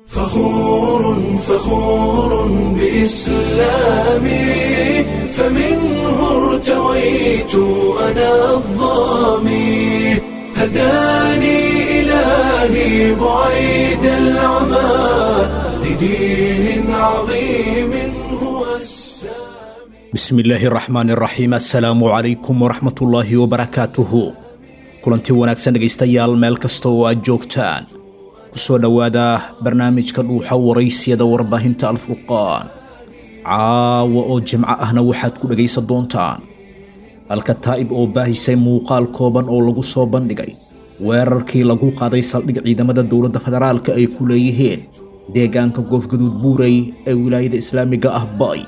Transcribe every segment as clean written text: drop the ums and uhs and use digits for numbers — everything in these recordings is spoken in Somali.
فخور فخور بإسلامي، فمنه ارتويت أنا الظامي، هداني إلهي بعيد العمى لدين عظيم هو السامي. Bismi illaahi raxmaani raxiim, assalaamu calaykum waraxmatullaahi wabarakaatuhu. Kulanti wanaagsan dhegaystayaal, meel kasta oo aad joogtaan, ku soo dhowaada barnaamijka Dhuuxa Waraysiyada warbaahinta Alfurqaan. Caawa oo jimco ahna waxaad ku dhegaysan doontaan Alkataa'ib oo baahisay muuqaal kooban oo lagu soo bandhigay weerarkii lagu qaaday saldhig ciidamada dowladda federaalka ay ku leeyihiin deegaanka Goofgaduud Buurey ee wilaayada islaamiga ah Bay.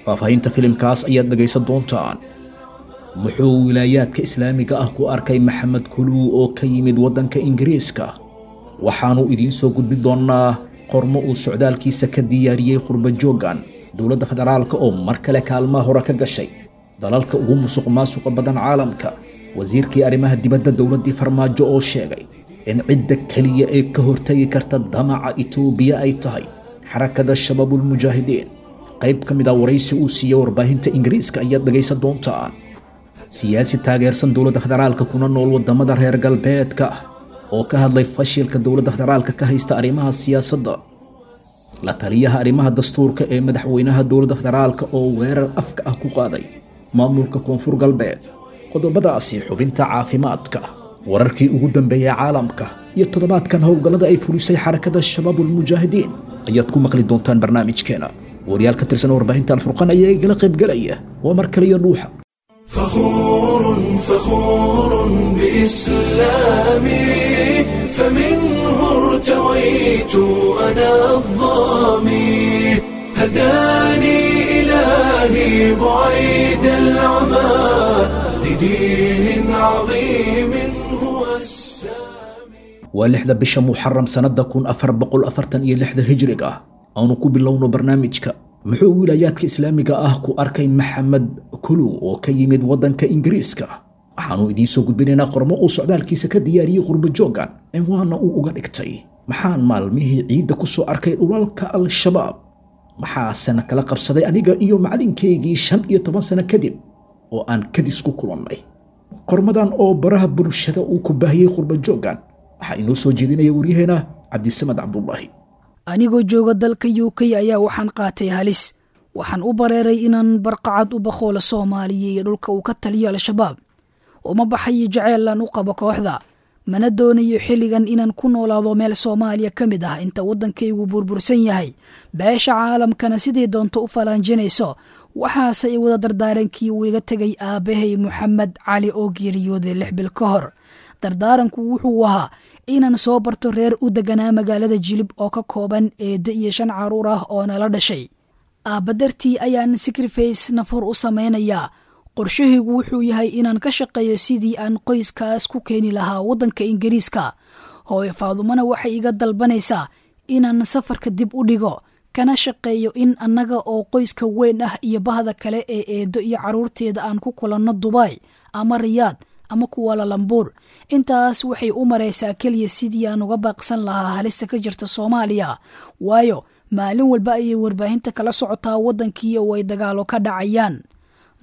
Faahfaahinta filimkaas ayaad dhegaysan doontaan. Muxuu wilaayaadka islaamiga ah ku arkay Maxamed Kuluu oo ka yimid waddanka Ingiriiska? Waxaanu idiin soo gudbin doonnaa qormo uu socdaalkiisa ka diyaariyey qurba jooggan. Dowladda federaalka oo mar kale kaalmaha hore ka gashay dalalka ugu musuq maasuqa badan caalamka. Wasiirkii arrimaha dibadda dowladdii Farmaajo oo sheegay in cidda keliya ee ka hortagi karta damaca Itoobiya ay tahay Xarakada Shabaabulmujaahidiin. Qayb ka mid ah waraysi uu siiyey warbaahinta Ingiriiska ayaad dhegaysan doontaan. Siyaasi taageersan dowladda federaalka kuna nool wadamada reer galbeedka oo ka hadlay fashilka dowladda federaalka ka haysta arrimaha siyaasadda. La taliyaha arrimaha dastuurka ee madaxweynaha dowladda federaalka oo weerar afka ah ku qaaday maamulka Koonfur Galbeed. Qodobadaasi, xubinta caafimaadka, wararkii ugu dambeeyay caalamka iyo toddobaadkan howlgallada ay fulisay Xarakada Shabaabulmujaahidiin ayaad ku maqli doontaan barnaamijkeena. Waryaal ka tirsan warbaahinta Alfurqaan ayaa igala qaybgalaya. Waa mar kale iyo Dhuuxa. فخور فخور بإسلامي، فمنه ارتويت أنا الظامي، هداني إلهي بعيد العمى لدين عظيم هو السامي. Waa 6da bisha Muxaram sannada 1446da hijriga. Aanu ku bilowno barnaamijka. Muxuu wilaayaadka islaamiga ah ku arkay Maxamed Kuluw oo ka yimid waddanka Ingiriiska? Waxaanu idiin soo gudbinaynaa qormo uu socdaalkiisa ka diyaariyey qurbo jooggan, cinwaanna uu uga dhigtay "Maxaan maalmihii ciidda ku soo arkay dhulalka Al-Shabaab, maxaasena kala qabsaday aniga iyo macalinkaygii 15 sano kadib oo aan kadis ku kulannay?" Qormadan oo baraha bulshada uu ku baahiyey qurbo jooggan waxaa inoo soo jeedinaya waryaheena Cabdisamad Cabdulaahi. Anigoo jooga dalka UK ayaa waxaan qaatay halis. Waxaan u bareeray inaan barqacad u bakhoolo Soomaaliya iyo dhulka uu ka taliyo Al-Shabaab. Uma baxayo jaceylan u qabo kooxda, mana doonayo xilligan inaan ku noolaado meel Soomaaliya ka mid ah inta waddankaygu burbursan yahay, beesha caalamkana sidii doonto u falaanjinayso. Waxaase i wada dardaarankii uu iga tegay aabbahay Moxamed Cali oo geeriyooday 6 bil ka hor. Dardaaranku wuxuu ahaa inaan soo barto reer u deganaa magaalada Jilib oo ka kooban eedde iyo shan caruur ah oo nala dhashay. Aabba dartii ayaan sacrifice nafur u samaynayaa. Qorshahaygu wuxuu yahay inaan ka shaqeeyo sidii aan qoyskaas ku keeni lahaa waddanka Ingiriiska. Hooyo Faadumana waxay iga dalbanaysaa inaan safarka dib u dhigo, kana shaqeeyo in annaga oo qoyska weyn ah iyo bahda kale ee eeddo iyo carruurteeda aan ku kulanno Dubai ama Riyaad ama Kuala Lumpur. Intaas waxay u maraysaa keliya sidii aan uga baaqsan lahaa halista ka jirta Soomaaliya, waayo maalin walba ayay warbaahinta kala socotaa waddankii oo ay dagaalo ka dhacayaan.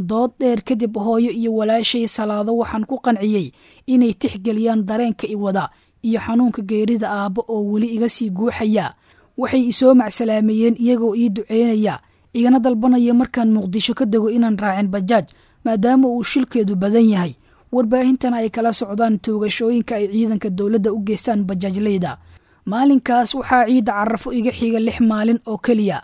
Dood dheer kadib, hooyo iyo walaashay Salaado waxaan ku qanciyey inay tixgeliyaan dareenka i wada iyo xanuunka geerida aabbo oo weli iga sii guuxaya. Waxay isoo macsalaameeyeen iyagoo ii duceynaya, igana dalbanaya markaan Muqdisho ka dego inaan raacin bajaaj, maadaama uu shilkeedu badan yahay, warbaahintana ay kala socdaan toogashooyinka ay ciidanka dowladda u geystaan bajaajleyda. Maalinkaas waxaa ciidda Carafo iga xiga 6 maalin oo keliya.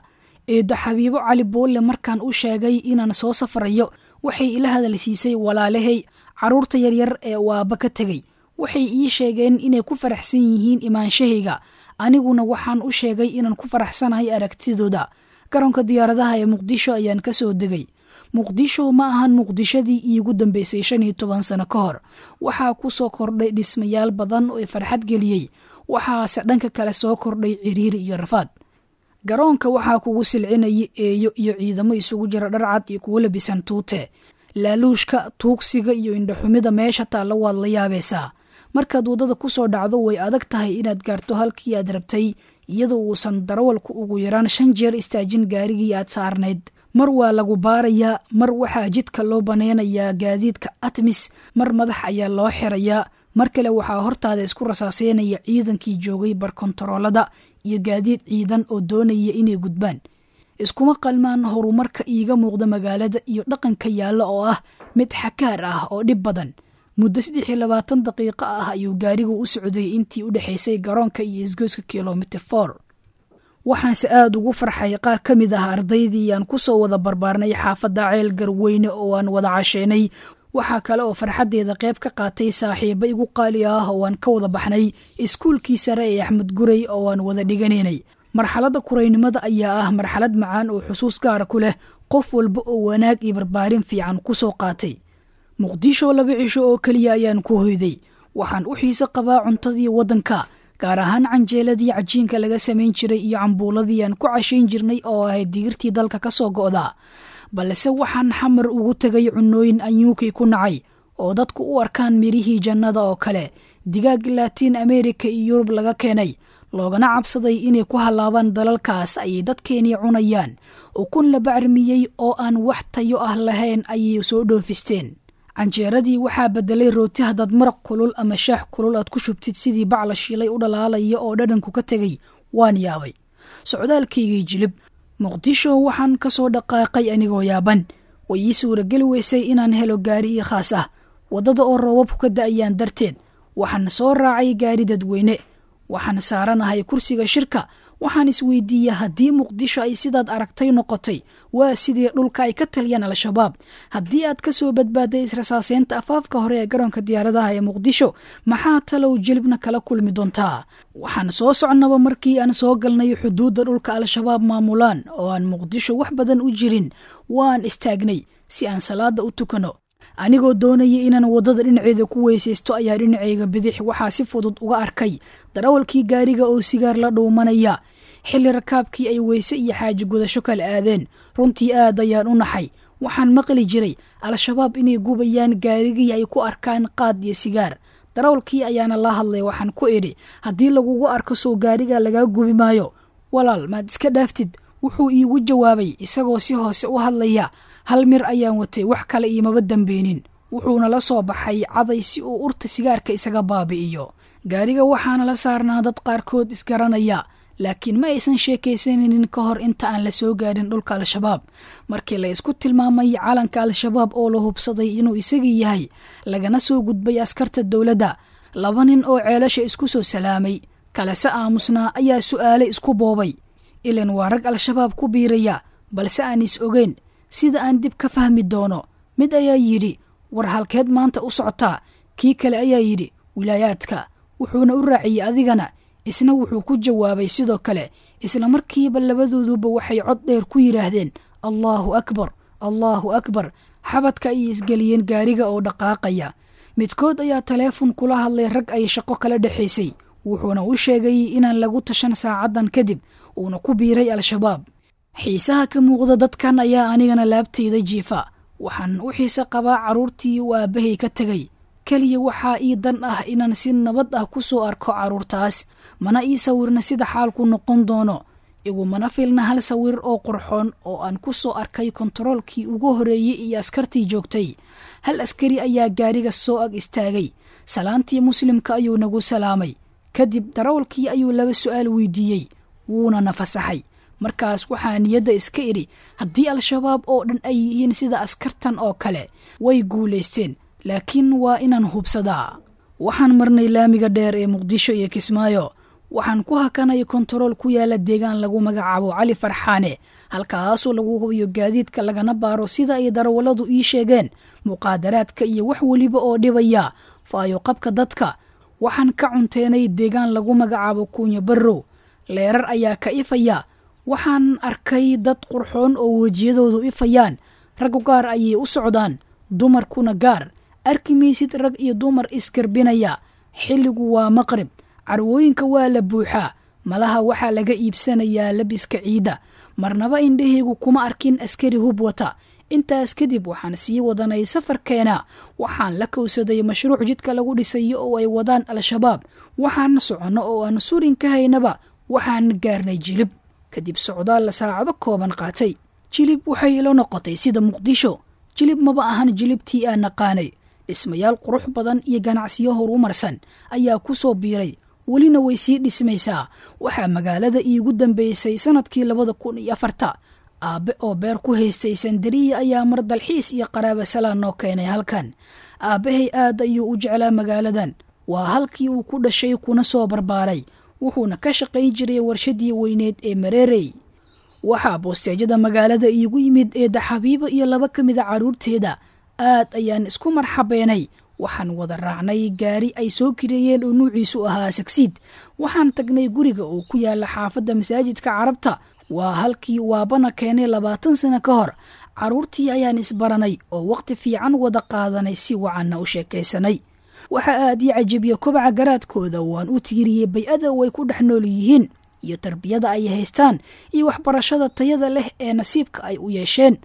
Eedda Xabiibo Cali Boolle markaan u sheegay inaan soo safrayo, waxay ila hadalsiisay walaalahay carruurta yaryar ee waaba ka tegey. Waxay ii sheegeen inay ku faraxsan yihiin imaanshahayga, aniguna waxaan u sheegay inaan ku faraxsanahay aragtidooda. Garoonka diyaaradaha ee Muqdisho ayaan ka soo degay. Muqdisho ma ahan Muqdishadii iigu dambeysay 15 sano ka hor. Waxaa ku soo kordhay dhismayaal badan oo farxad geliyey, waxaase dhanka kale soo kordhay ciriiri iyo rafaad. Garoonka waxaa kugu silcinaya eeyo iyo ciidamo isugu jira dharcad iyo kuwo labisan tuute. Laaluushka, tuugsiga iyo indhaxumida meesha taalla waad la yaabaysaa. Markaad waddada ku soo dhacdo, way adag tahay inaad gaarto halkii aad rabtay Iyadoo uusan darawalku ugu yaraan 5 jeer istaajin gaarigii aad saarnayd. Mar waa lagu baarayaa, mar waxaa jidka loo baneynayaa gaadiidka ATMIS, mar madax ayaa loo xirayaa, mar kale waxaa hortaada isku rasaaseynaya ciidankii joogay barkontaroolada iyo gaadiid ciidan oo doonaya inay gudbaan. Iskuma qalmaan horumarka iiga muuqda magaalada iyo dhaqanka yaalla oo ah mid xakaar ah oo dhib badan. Muddo 23 daqiiqo ah ayuu gaarigu u socday intii u dhexaysay garoonka iyo isgoyska kilomitir 4. Waxaanse aad ugu farxay qaar ka mid ah ardaydii aan ku soo wada barbaarnay xaafadda Ceel Garweyne oo aan wada casheynay. Waxaa kale oo farxaddeeda qayb ka qaatay saaxiibo igu qaali ah oo aan ka wada baxnay iskuulkii sare ee Axmed Gurey oo aan wada dhiganaynay. Marxaladda kuraynimada ayaa ah marxalad macaan oo xusuus gaara ku leh qof walba oo wanaag iyo barbaarin fiican ku soo qaatay. Muqdisho 2 cisho oo keliya ayaan ku hoyday. Waxaan u xiise qabaa cuntadii waddanka, gaar ahaan canjeeladii cajiinka laga samayn jiray iyo cambuuladii aan ku cashayn jirnay oo ahayd digirtii dalka ka soo go'da. Balse waxaan Xamar ugu tegay cunooyin aan UK ku nacay oo dadku u arkaan mirihii jannada oo kale, digaag Laatiin America iyo Yurub laga keenay, loogana cabsaday inay ku halaabaan dalalkaas ayay dadkeenii cunayaan. Ukun la bacrimiyey oo aan wax tayo ah lahayn ayay soo dhoofisteen. Canjeeradii waxaa bedelay rooti haddaad maraq kulul ama shaax kulul aad ku shubtid sidii bac la shiilay u dhalaalaya oo dhadhanku ka tegay. Waan yaabay. Socdaalkaygii Jilib Muqdisho waxaan ka soo dhaqaaqay anigoo yaaban. Way ii suurageli weysay inaan helo gaari ii khaas ah. Waddada oo roobabku ka da'ayaan darteed waxaan soo raacay gaari dadweyne. Waxaan saaranahay kursiga shirka. Waxaan isweydiiyey haddii Muqdisho ay sidaad aragtay noqotay, waa sidii dhulka ay ka taliyaan Al-Shabaab. Haddii aad ka soo badbaaday israsaaseynta afaafka hore ee garoonka diyaaradaha ee Muqdisho, maxaa talow Jilibna kala kulmi doontaa? Waxaan soo socnaba markii aan soo galnay xuduudda dhulka Al-Shabaab maamulaan oo aan Muqdisho wax badan u jirin, waan istaagnay si aan salaada u tukano. Anigoo doonaya inaan waddada dhinaceeda ku weysaysto ayaa dhinacayga bidix waxaa si fudud uga arkay darawalkii gaariga oo sigaar la dhuumanaya. Xilli rakaabkii ay weyse iyo xaaji gudasho kala aadeen, runtii aad ayaan u naxay. Waxaan maqli jiray Al-Shabaab inay gubayaan gaarigii ay ku arkaan qaad iyo sigaar. Darawalkii ayaana la hadlay, waxaan ku idhi haddii lagugu arko soo gaariga lagaa gubi maayo, walaal maad iska dhaaftid. Wuxuu iigu jawaabay isagoo si hoose u hadlaya, hal mir ayaan watay, wax kale iimaba dambeynin. Wuxuuna la soo baxay caday si uu urta sigaarka isaga baabi'iyo. Gaariga waxaana la saarnaa dad qaarkood isgaranaya, laakiin ma aysan sheekaysanaynin ka hor inta aan la soo gaarin dhulka Al-Shabaab. Markii la isku tilmaamay calanka Al-Shabaab oo la hubsaday inuu isagii yahay, lagana soo gudbay askarta dowladda, 2 nin oo ceelasha isku soo salaamay kalese aamusnaa ayaa su'aale isku boobay. Ilan waa rag Al-Shabaab ku biiraya, balse aan is ogeyn sida aan dib ka fahmi doono. Mid ayaa yidhi, war halkeed maanta u socotaa? Kii kale ayaa yidhi, wilaayaadka. Wuxuuna u raaciyey adigana. Isna wuxuu ku jawaabay sidoo kale. Isla markiiba labadooduba waxay cod dheer ku yidhaahdeen Allahu akbar, Allahu akbar. Xabadka ayay isgeliyeen gaariga oo dhaqaaqaya. Midkood ayaa taleefon kula hadlay rag ay shaqo kala dhexaysay, wuxuuna u sheegay inaan lagu tashan saacadan kadib, uuna ku biiray Al-Shabaab. Xiisaha ka muuqda dadkan ayaa anigana laabtayda jiifa. Waxaan u xiise qabaa carruurtii uu aabbahay ka tegay. Keliya waxaa ii dan ah inaan si nabad ah ku soo arko carruurtaas, mana ii sawirna sida xaalku noqon doono. Igumana filna hal sawir oo qurxoon oo aan ku soo arkay kontaroolkii ugu horeeyey iyo askartii joogtay. Hal askari ayaa gaariga soo ag istaagay. Salaantii muslimka ayuu nagu salaamay. Kadib darawalkii ayuu 2 su'aal weydiiyey, wuuna nafasaxay. Markaas waxaa niyadda iska idhi, haddii Al-Shabaab oo dhan ay yihiin sida askartan oo kale, way guulaysteen, laakiin waa inaan hubsadaa. Waxaan marnay laamiga dheer ee Muqdisho iyo Kismaayo. Waxaan ku hakanay kontarool ku yaala deegaan lagu magacaabo Cali Farxaane, halkaasoo lagu hubiyo gaadiidka lagana baaro sida ay darawalladu ii sheegeen muqaadaraadka iyo wax weliba oo dhibaya faayo qabka dadka. Waxaan ka cunteenay deegaan lagu magacaabo Kunya Barrow. Leerar ayaa ka ifaya. Waxaan arkay dad qurxoon oo wejiyadoodu ifayaan. Raggu gaar ayay u socdaan, dumarkuna gaar. Arki maysid rag iyo dumar isgarbinaya. Xilligu waa maqrib, carwooyinka waa la buuxaa, malaha waxaa laga iibsanayaa labiska ciida. Marnaba indhahaygu kuma arkin askari hub wata. Intaas kadib waxaan sii wadanay safarkeena. Waxaan la kowsaday mashruuc jidka lagu dhisayo oo ay wadaan Al-Shabaab. Waxaan soconno oo aan surin ka haynaba Waxaan gaarnay Jilib kadib socdaal la saacado kooban qaatay. Jilib waxay ila noqotay sida Muqdisho. Jilib maba ahan jilibtii aan naqaanay. Dhismayaal qurux badan iyo ganacsiyo horumarsan ayaa ku soo biiray, welina way sii dhismaysaa. Waxaa magaalada iigu dambeysay sanadkii 2004. Aabe oo beer ku haystay Sandariya ayaa mar dalxiis iyo qaraaba salaan noo keenay halkan. Aabbahay aad ayuu u jeclaa magaaladan. Waa halkii uu ku dhashay kuna soo barbaaray, wuxuuna ka shaqayn jiray warshadii weyneed ee Mareerey. Waxaa boosteejada magaalada iigu yimid eedda Xabiibo iyo laba ka mida carruurteeda. Aad ayaan isku marxabeenay. Waxaan wada raacnay gaari ay soo kireeyeen oo nuuciisu ahaa sagsiid. Waxaan tagnay guriga oo ku yaala xaafadda masaajidka Carabta. Waa halkii waabana keenay 20 sano ka hor. Carruurtii ayaan isbaranay oo waqti fiican wada qaadanay, si wacanna u sheekaysanay. Waxa aad ii cajabiya kobaca garaadkooda. Waan u tiiriyey bay-ada way ku dhex nool yihiin iyo tarbiyada ay haystaan iyo waxbarashada tayada leh ee nasiibka ay u yeesheen.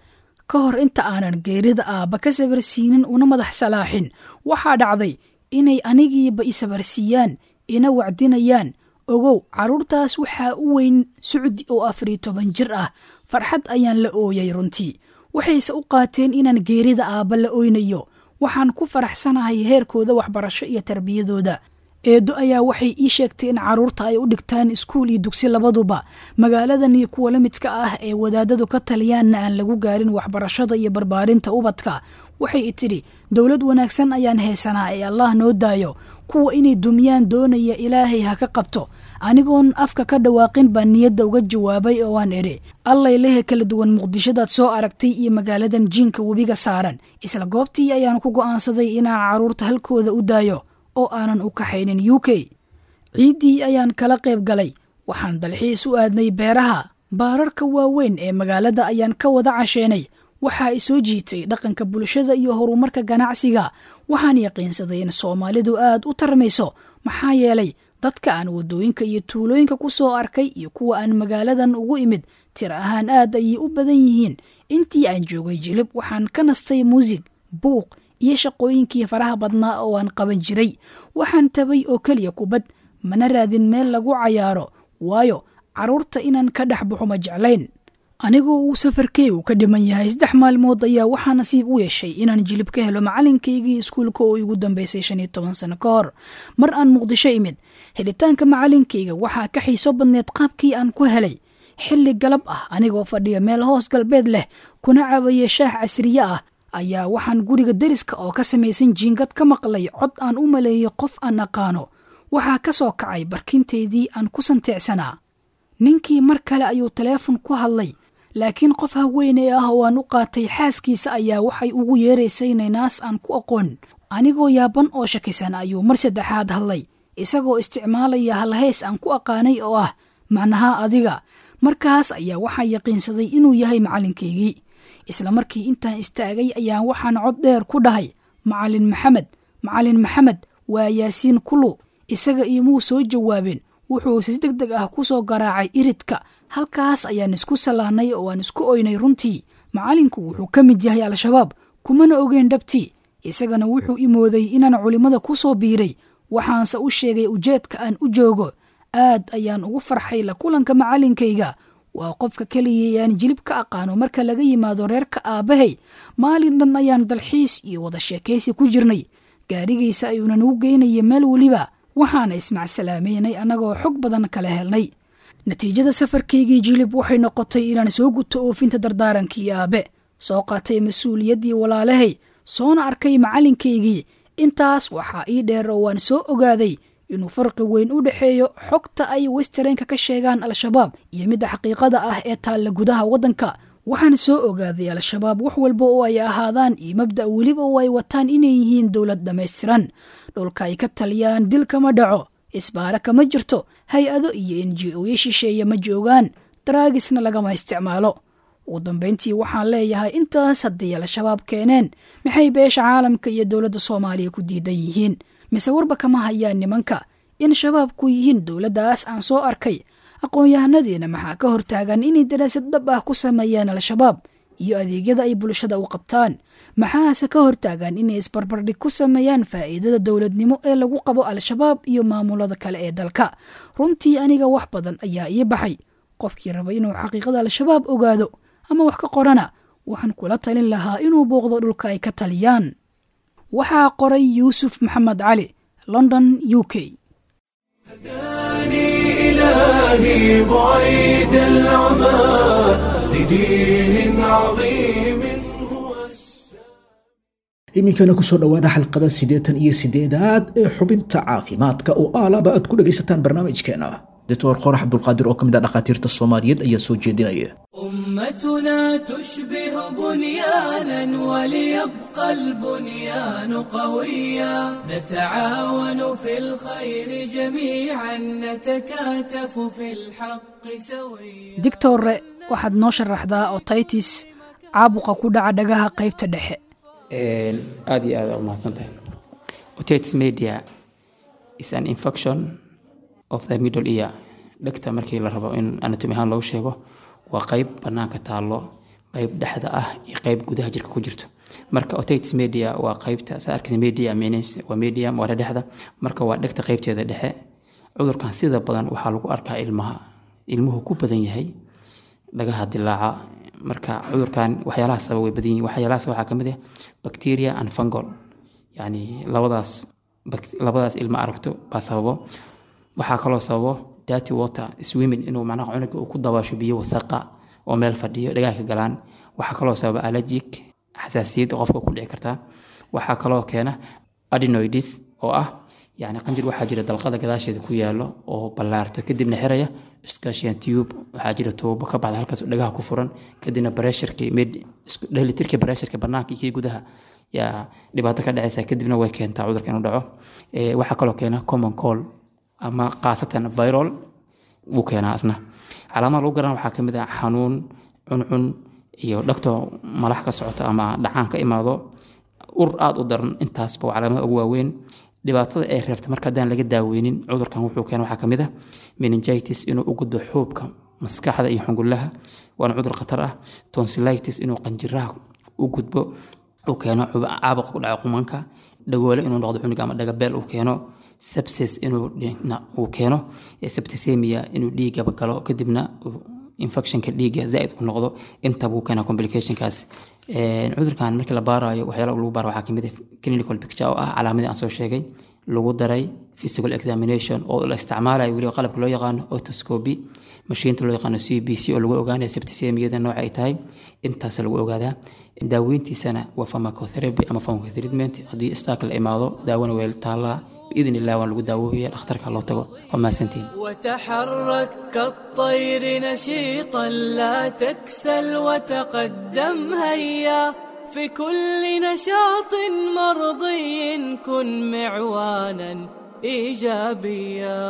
Ka hor inta aanan geerida aabba ka sabarsiinin una madax salaaxin, waxaa dhacday inay anigiiba i sabarsiiyaan, ina wacdinayaan. Ogow, carruurtaas waxaa u weyn Sucdi oo 14 jir ah. Farxad ayaan la ooyay runtii. Waxayse u qaateen inaan geerida aabba la oynayo. Waxaan ku faraxsanahay heerkooda waxbarasho iyo tarbiyadooda. Eedo ayaa waxay ii sheegtay in carruurta ay u dhigtaan iskuul iyo dugsi labaduba. Magaaladan iyo kuwa la midka ah ee wadaadadu ka taliyaanna aan lagu gaarin waxbarashada iyo barbaarinta ubadka. Waxay i tidhi, dowlad wanaagsan ayaan haysanaa ee Allah noo daayo. Kuwa inay dumiyaan doonaya Ilaahay ha ka qabto. Anigoon afka ka dhawaaqin baan niyadda uga jawaabay oo aan idhi, Allay lehe kala duwan Muqdishadaad soo aragtay iyo magaaladan jiinka webiga saaran. Isla goobtii ayaan ku go'aansaday inaan carruurta halkooda u daayo oo aanan u kaxaynin UK. Ciiddii ayaan kala qayb galay. Waxaan dalxiis u aadnay beeraha. Baararka waaweyn ee magaalada ayaan ka wada casheenay. Waxaa i soo jiitay dhaqanka bulshada iyo horumarka ganacsiga. Waxaan yaqiinsaday in Soomaalidu aad u tarmayso, maxaa yeelay dadka aan waddooyinka iyo tuulooyinka ku soo arkay iyo kuwa aan magaaladan ugu imid tir ahaan aad ayay u badan yihiin. Intii aan joogay Jilib waxaan ka nastay muusig, buuq iyo shaqooyinkii faraha badnaa oo aan qaban jiray. Waxaan tabay oo keliya kubad, mana raadin meel lagu cayaaro, waayo carruurta inaan ka dhex baxo ma jeclayn. Anigoo uu safarkeygu ka dhiman yahay 3 maalmood ayaa waxaa nasiib u yeeshay inaan Jilib ka helo macalinkaygii iskuulka oo igu dambeysay 15 sano ka hor. Mar aan Muqdisho imid, helitaanka macalinkayga waxaa ka xiiso badneed qaabkii aan ku helay. Xilli galab ah anigoo fadhiya meel hoos galbeed leh kuna cabaya shaah casriye ah ayaa waxaan guriga deriska oo ka samaysan jiingad ka maqlay cod aan u maleeyey qof aan aqaano. Waxaa ka soo kacay barkinteydii aan ku santeecsanaa. Ninkii mar kale ayuu taleefon ku hadlay, laakiin qof haweeney ah oo aan u qaatay xaaskiisa ayaa waxay ugu yeeraysay naynaas aan ku aqoon. Anigoo yaaban oo shakisan ayuu mar saddexaad hadlay, isagoo isticmaalaya halheys aan ku aqaanay oo ah macnaha adiga. Markaas ayaa waxaa yaqiinsaday inuu yahay macalinkaygii. Isla markii intaan istaagay ayaan waxaan cod dheer ku dhahay, Macalin Maxamed, Macalin Maxamed, waa Yaasiin Kulu. Isaga imuu soo jawaabin, wuxuu si degdeg ah ku soo garaacay iridka. Halkaas ayaan isku salaanay oo aan isku oynay runtii. Macalinku wuxuu ka mid yahay Al-Shabaab, kumana ogeyn dhabtii. Isagana wuxuu imooday inaan culimada ku soo biiray. Waxaanse u sheegay ujeedka aan u joogo. Aad ayaan ugu farxay la kulanka macalinkayga. Waa qofka keliya aan Jilib ka aqaano marka laga yimaado reerka aabbahay. Maalin dhan ayaan dalxiis iyo wada sheekaysi ku jirnay. Gaarigiisa ayuuna nagu geynayay meel weliba. Waxaana ismacsalaamaynay annagoo xog badan kala helnay. Natiijada safarkaygii Jilib waxay noqotay inaan soo guto oofinta dardaarankii aabe, soo qaatay mas-uuliyaddii walaalahay, soona arkay macalinkaygii. Intaas waxaa ii dheer oo waan soo ogaaday inuu farqi weyn u dhexeeyo xogta ay Westernka ka sheegaan Al-Shabaab iyo midda xaqiiqada ah ee taalla gudaha waddanka. Waxaan soo ogaaday Al-Shabaab wax walba oo ay ahaadaan iyo mabda' weliba oo ay wataan inay yihiin dowlad dhammaystiran. Dhulka ay ka taliyaan dil kama dhaco, isbaara kama jirto, hay-ado iyo NGO-yo shisheeye ma joogaan, daraagisna lagama isticmaalo. Ugu dambeyntii waxaan leeyahay intaas haddii Al-Shabaab keeneen, maxay beesha caalamka iyo dowladda Soomaaliya ku diidan yihiin? Mise warba kama hayaan nimanka in shabaabku yihiin dowladdaas aan soo arkay? Aqoon-yahanadiina maxaa ka hortaagan inay daraasad dhab ah ku sameeyaan Al-Shabaab Iyo adeegyada ay bulshada u qabtaan. Maxaase ka hortaagan inay isbarbardhig ku sameeyaan faa'iidada dowladnimo ee lagu qabo Al-Shabaab iyo maamulada kale ee dalka? Runtii aniga wax badan ayaa ii baxay. Qofkii raba inuu xaqiiqada Al-Shabaab ogaado ama wax ka qorana, waxaan kula talin lahaa inuu booqdo dhulka ay ka taliyaan. Waxaa qoray Yuusuf Maxamed Cali, London, UK. هداني إلهي بعيد العمى لدين عظيم هو. Iminkana kusoo dhowaada xalqada 88aad ee xubinta caafimaadka oo aalaba aad ku dhegaysataan barnaamijkeena. Doctor Qorax Cabdulqaadir oo ka mid ah dhakhaatiirta Soomaaliyeed ayaa soo jeedinaya. أمتنا تشبه بنيانا، وليبقى البنيان قويا، نتعاون في الخير جميعا، نتكاتف في الحق سويا. Dictore, waxaad noo sharaxdaa otitis, caabuqa ku dhaca dhagaha qaybta dhexe. Aad iyo aad aa umahadsantahay. Otitis media is an infection of the middle ear. Dhegta markii la rabo in anatomy ahaan loogu sheego, waa qayb banaanka taallo, qayb dhexda ah iyo qayb gudaha jirka ku jirto. Marka otitis media waa qaybta saa arkaysa. Media means waa medium, waa dhexda. Marka waa dhegta qaybteeda dhexe. Cudurkan sida badan waxaa lagu arkaa ilmaha, ilmuhu ku badan yahay dhagaha dilaaca. Marka cudurkan waxyaalaha sababa way badan yihiin. Waxyaalaha sababa waxaa kamid ah bacteria and fungal, yani labadaas ilma aragto baa sababo. Waxaa kaloo sababo dirty water swimming, inuu macnaha cunuga uu ku dabaasho biyo wasaqa oo meel fadhiyo, dhagaha ka galaan. Waxaa kaloo sababa allergic, xasaasiyad qofka ku dhici kartaa. Waxaa kaloo keena adenoids, oo ah yani qanjir waxaa jira dalqada gadaasheeda ku yaalo oo ballaarto, kadibna xiraya Eustachian tube. Waxaa jira tuubo ka baxda halkaas oo dhagaha ku furan, kadibna pressureki mid isku dheelitirka pressureka banaanka iyo kii gudaha yaa dhibaato ka dhacaysa, kadibna way keentaa cudurka inuu dhaco. Waxaa kaloo keena common cold ama khaasatan viral wuu keenaa asna. Calaamadaha lagu garan waxaa kamid ah xanuun, cuncun iyo dhagto malax ka socoto ama dhacaan ka imaado, ur aada u daran. Intaasba waa calaamadaha ugu waaweyn. Dhibaatada ay reebta marka haddaan laga daaweynin cudurkan wuxuu keena waxaa kamid ah meningitis, inuu u gudbo xuubka maskaxda iyo xungulaha, waana cudur khatar ah. Tonsillitis, inuu qanjiraha u gudbo, uu keeno caabuq ku dhaco qumanka, dhagoole inuu noqdo cunuga ama dhagabeel uu keeno, sepsis inuu uu keeno, septicemia inuu dhiigaba galo, kadibna infectionka dhiigga zaaid u noqdo. Intaba uu keenaa complicationkaas. Cudurkan markii la baarayo, waxyaalaha lagu baaro waxaa kamid ah clinical picture, oo ah calaamadii aan soo sheegay, lagu daray physical examination oo la isticmaalayo weliba qalabka loo yaqaano otoscopy, mashiinta loo yaqaano CBC oo lagu ogaanayo septicemiyada nooca ay tahay. Intaas lagu ogaadaa. Daaweyntiisana waa pharmacotherapy ama pharmacotreatment. Haddii isbitaalka la imaado, daawona way taallaa, biidn illah waan lagu daawoobaya. Dhakhtarka loo tago. Waa mahadsantihin. وتحرك كالطير نشيطا، لا تكسل وتقدم، هيا في كل نشاط مرضي كن معوانا إيجابيا.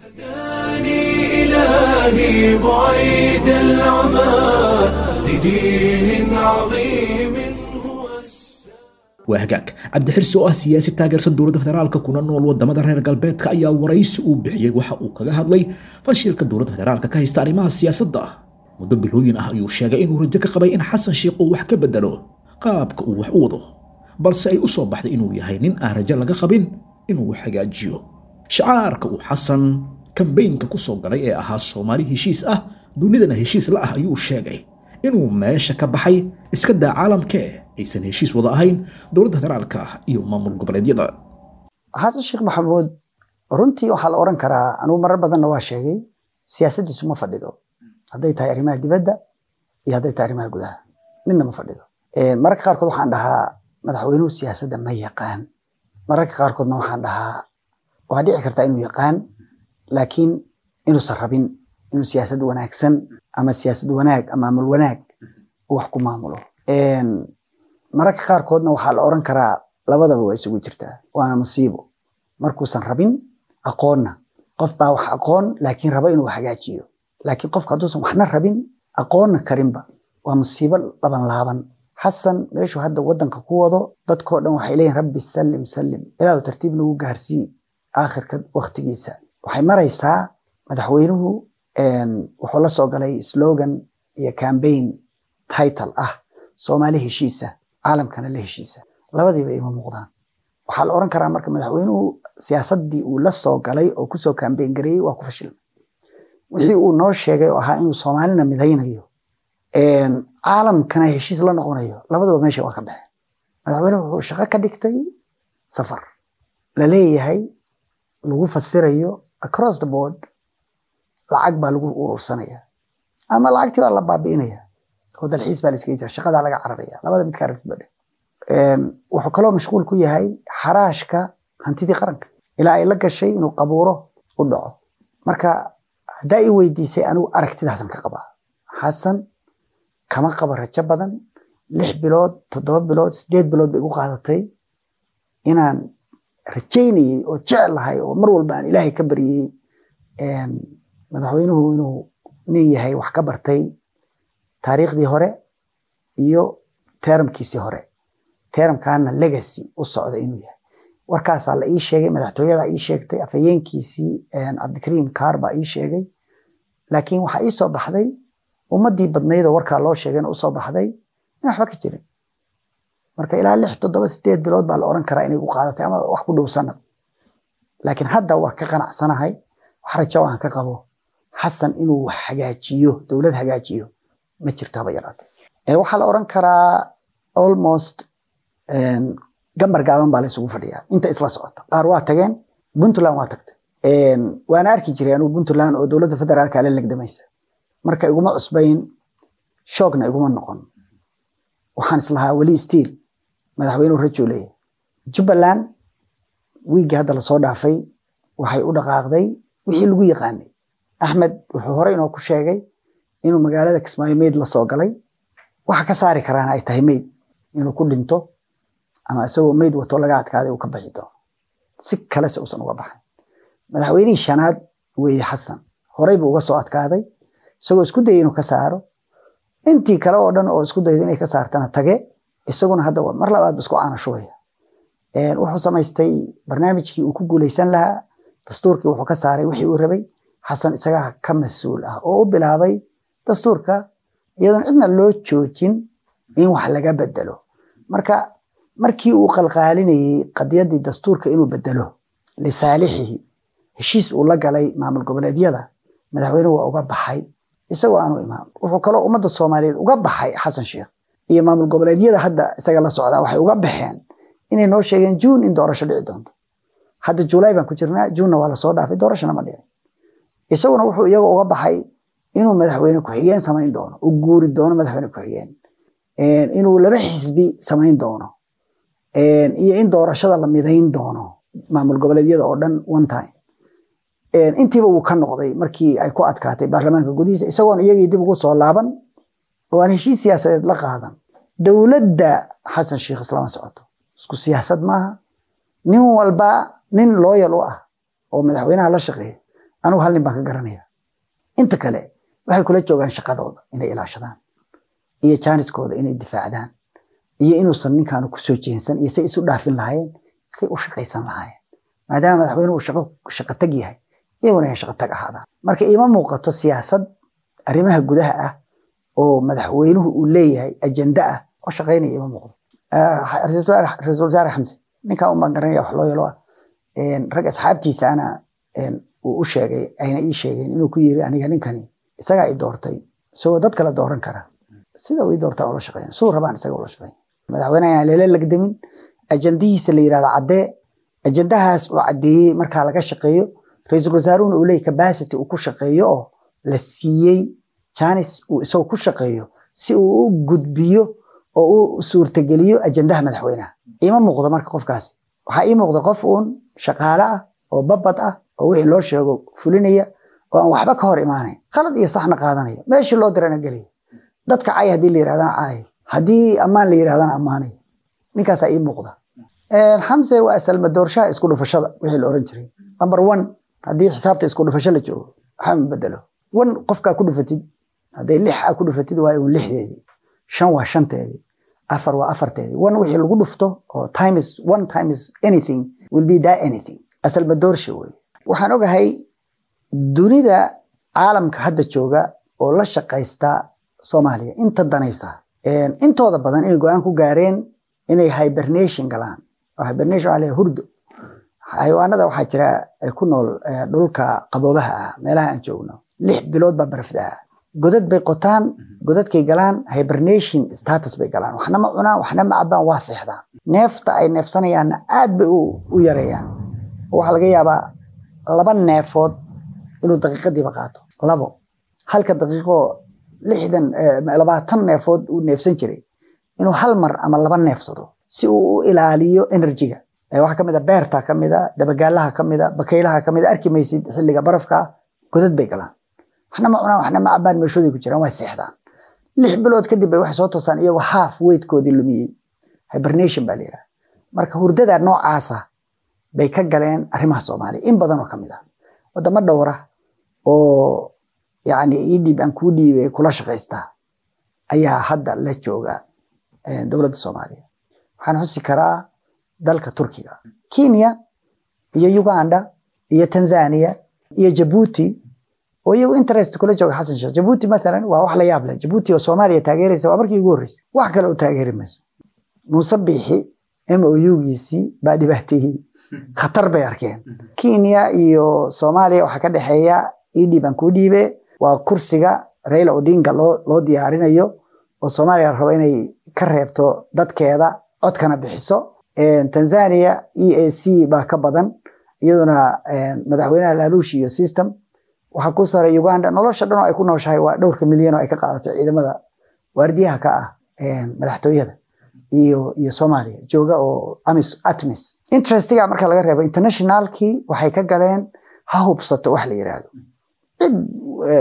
هداني إلهي بعيد العمى لدين عظيم هو. Waa hagaag. Cabdixirsi oo ah siyaasi taageersan dowladda federaalka kuna nool wadamada reer galbeedka ayaa waraysi uu bixiyey waxa uu kaga hadlay fashilka dowladda federaalka ka haysta arrimaha siyaasadda. Muddo bilooyin ah ayuu sheegay inuu rajo ka qabay in Xasan Sheikh uu wax ka bedelo qaabka uu wax u wado, balse ay u soo baxday inuu yahay nin aan rajo laga qabin inuu wax hagaajiyo. Shacaarka uu Xasan kambeynka ku soo galay ee ahaa Soomaali heshiis ah, dunidana heshiis la ah ayuu sheegay inuu meesha ka baxay, iska daa caalamkee aysan heshiis wada ahayn dowladda federaalka iyo maamul goboleedyada. Xasan Sheekh Maxamuud runtii waxaa la oran karaa, anugu marar badanna waa sheegay, siyaasaddiisu ma fadhido, hadday tahay arrimaha dibadda iyo hadday tahay arrimaha gudaha, midna ma fadhido. Mararka qaarkood waxaan dhahaa madaxweynuhu siyaasadda ma yaqaan, mararka qaarkoodna waxaan dhahaa waa dhici kartaa inuu yaqaan, laakiin inuusan rabin inuu siyaasad wanaagsan ama siyaasad wanaag ama maamul wanaag uu wax ku maamulo. Mararka qaarkoodna waxaa la oran karaa labadaba waa isugu jirtaa, waana musiibo markuusan rabin aqoonna. Qof baa wax aqoon laakiin raba inuu hagaajiyo, laakiin qofka hadduusan waxna rabin aqoonna karinba, waa musiibo laban laaban. Xasan meeshuu hadda wadanka ku wado, dadkoo dhan waxay leeyihin rabbi sallim sallim, ilaahu tartiib nagu gaarsii aakhirka waqtigiisa. Waxay maraysaa madaxweynuhu wuxuu la soo galay slogan iyo campaign title ah Soomaali heshiisa, caalamkana la heshiisa. Labadiiba ima muuqdaan. Waxaa la oran karaa marka madaxweynuhu siyaasaddii uu la soo galay oo kusoo campaign gareeyey waa ku fashilmay. Wixii uu noo sheegay oo ahaa inuu Soomaalina midaynayo, caalamkana heshiis la noqonayo, labadaba meesha waa ka baxeen. Madaxweynuhu wuxuu shaqo ka dhigtay safar la leeyahay lagu fasirayo across the board, lacag baa lagu urursanaya ama lacagtii baa la baabi'inaya oo dalxiis baa la iskaga jira, shaqadaa laga cararaya, labada midkaa rabtid ba dheh. Wuxuu kaloo mashquul ku yahay xaraashka hantidii qaranka ilaa ay la gashay inuu qabuuro u dhaco. Marka haddaa i weydiisay, anigu aragtidaasan ka qabaa. Xasan kama qabo rajo badan. 6 bilood, 7 bilood, 8 bilood bay igu qaadatay inaan rajaynayey oo jeclahay oo mar walba aan Ilaahay ka baryey madaxweynuhu inuu nin yahay wax ka bartay taariikhdii hore iyo termkiisii hore, termkaana legacy u socda inuu yahay. Warkaasaa la ii sheegay, madaxtooyada ii sheegtay, afhayeenkiisii Cabdikariim Kaar baa ii sheegay. Laakiin waxaa ii soo baxday, ummadii badnayd oo warkaa loo sheegayna usoo baxday, in waxba ka jirin. Marka ilaa 6, 7, 8 bilood baa la oran karaa inay ku qaadatay ama wax ku dhow sanad. Laakiin hadda waa ka qanacsanahay. Wax rajo aan ka qabo Xasan inuu wax hagaajiyo, dowlad hagaajiyo, ma jirto haba yaraatee. Waxaa la oran karaa almost gambar gaaban baa la isugu fadhiyaa inta isla socota. Qaar waa tageen, Puntland waa tagtay. Waana arki jiray anugu Puntland oo dowladda federaalka la legdamaysa. Marka iguma cusbayn, shoogna iguma noqon. Waxaan islahaa weli still madaxweynuhu rajuu leeyahay. Jubbaland wiigii hadda lasoo dhaafay waxay u dhaqaaqday wixii lagu yaqaanay. Axmed wuxuu hore inoo ku sheegay inuu magaalada Kismaayo meyd la soo galay, waxa ka saari karaana ay tahay meyd inuu ku dhinto ama isagoo meyd wato laga adkaaday uu ka baxi doono, si kalese uusan uga baxayn. Madaxweynihii shanaad weeye Xasan, horey buu uga soo adkaaday isagoo isku dayay inuu ka saaro. Intii kale oo dhan oo isku dayday inay ka saartana tage, isaguna hadda mar labaad ba isku caana shubaya. Wuxuu samaystay barnaamijkii uu ku guuleysan lahaa, dastuurkii wuxuu ka saaray wixii uu rabay. Xasan isagaa ka mas-uul ah oo u bilaabay dastuurka iyadoon cidna loo joojin in wax laga bedelo. Marka markii uu qalqaalinayey qadiyaddii dastuurka inuu bedelo lisaalixihi, heshiis uu la galay maamul goboleedyada, madaxweynuhu waa uga baxay isagoo aanu imaan. Wuxuu kaloo ummadda Soomaaliyeed uga baxay Xasan Sheekh iyo maamul goboleedyada hadda isaga la socdaa, waxay uga baxeen inay noo sheegeen Juun in doorasho dhici doonto. Hadda Juulaay baan ku jirnaa, Juunna waa lasoo dhaafay, doorashona ma dhicin. Isaguna wuxuu iyaga uga baxay inuu madaxweyne ku-xigeen samayn doono, u guuri doono madaxweyne ku-xigeen, inuu laba xisbi samayn doono, iyo in doorashada la midayn doono maamul goboleedyada oo dhan one time. Intiiba wuu ka noqday markii ay ku adkaatay baarlamaanka gudihiisa, isagoon iyagii dib ugu soo laaban oo aan heshiis siyaasadeed la qaadan. Dowladda Xasan Sheekh islama socoto, isku siyaasad maaha. Nin walba nin loyal u ah oo madaxweynaha la shaqeeya, anigu hal nin baan ka garanaya. Inta kale waxay kula joogaan shaqadooda inay ilaashadaan iyo jaaniskooda inay difaacdaan iyo inuusan ninkaanu kusoo jeensan iyo say isu dhaafin lahaayeen, say u shaqaysan lahaayeen, maadaama madaxweynuhu shaqo shaqo tag yahay, iyaguna inay shaqo tag ahaadaan. Marka iima muuqato siyaasad arrimaha gudaha ah oo madaxweynuhu uu leeyahay ajenda ah oo shaqaynaya, ima muuqdo. Ra-iisul wasaare Xamse ninkaa un baan garanaya wax loo yelo ah. Rag asxaabtiisa ana uu u sheegay, ayna ii sheegeen inuu ku yiri, aniga ninkani isagaa i doortay isagoo dad kale dooran kara, sida uu ii doortaa ula shaqeyn, suu rabaan isaga ula shaqeyn. Madaxweynaha inaan lala lagdamin, ajandihiisa la yirahdo caddee, ajandahaas uu caddeeyey markaa laga shaqeeyo, ra-iisul wasaaruhuna uu leeyahy capacity uu ku shaqeeyo oo la siiyey janis uu isagoo ku shaqeeyo si uu u gudbiyo oo u suurtageliyo ajandaha madaxweynaha. Ima muuqdo marka qofkaasi. Waxaa ii muuqda qof uun shaqaale ah oo babad ah oo wixii loo sheego fulinaya oo aan waxba ka hor imaanayn, khalad iyo saxna qaadanaya, meeshii loo dirana gelaya, dadka cay haddii la yirahdana caay, haddii ammaan la yirahdana ammaanaya. Ninkaasaa ii muuqda. Xamse waa asalma doorshaha isku dhufashada wixii la oran jiray number one. Haddii xisaabta isku dhufasho la joogo, waxba ma bedelo. One qofkaa ku dhufatid, hadday lix aa ku dhufatid waa un lixdeedii, shan waa shanteedii, afar waa afarteedii. One wixii lagu dhufto oo times one times anything will be that anything. Asalma doorsha weeye. Waxaan ogahay dunida caalamka hadda jooga oo la shaqaysta Soomaaliya inta danaysa intooda badan inay go-aan ku gaareen inay hibernation galaan. Oo hibernation waxaa la yidhaha hurdo. Xayawaanada waxaa jira ku nool dhulka qaboobaha ah, meelaha aan joogno 6 bilood baa barafda ah. Godad bay qotaan, godadkay galaan, hibernation status bay galaan. Waxna ma cunaan, waxna ma cabaan, waa seexdaan. Neefta ay neefsanayaanna aad bay u yareeyaan. Waxaa laga yaabaa 2 neefood inuu daqiiqadiiba qaato, labo halka daqiiqo 60 20 neefood uu neefsan jiray inuu hal mar ama 2 neefsado si uu u ilaaliyo energy-ga. Waxaa kamid a beerta, kamid a dabagaalaha, kamid a bakaylaha, kamid a arki maysid xilliga barafka. Godad bay galaan, waxna ma cunaan, waxna ma cabaan, meeshooday ku jiraan, waa seexdaan. 6 bilood kadib bay waxay soo toosaan iyagoo half weightkoodii lumiyey. Hibernation baa la yidhaha. Marka hurdada noocaasa bay ka galeen arrimaha Soomaaliya in badan oo kamid ah. Wadamo dhowra oo yacni ii dhiib aan kuu dhiibay kula shaqaysta ayaa hadda la jooga dowladda Soomaaliya. Waxaan xusi karaa dalka Turkiga, Kenya iyo Uganda iyo Tanzania iyo Jabuuti oo iyagu interest kula jooga Xasan Sheekh. Jabuuti mathalan waa wax la yaab leh. Jabuuti oo Soomaaliya taageeraysa waa markii ugu horreysay. Wax kale u taageeri mayso. Muuse Biixi MOU-giisii baa dhibaateeyey, khatar bay arkeen. Kenya iyo Soomaaliya waxaa ka dhexeeya ii dhiib aan kuu dhiibe. Waa kursiga Raila Odinga loo diyaarinayo oo Soomaaliya la rabo inay ka reebto dadkeeda, codkana bixiso. Tanzania EAC baa ka badan, iyaduna madaxweynaha laaluush iyo system. Waxaa ku saray Uganda. Nolosha dhan oo ay ku nooshahay waa dhowrka milyan oo ay ka qaadato ciidamada waardiyaha ka ah madaxtooyada iyo Soomaaliya jooga oo amis ATMIS. Interestiga marka laga reebo, internationalkii waxay ka galeen ha hubsato wax la yiraahdo. Cid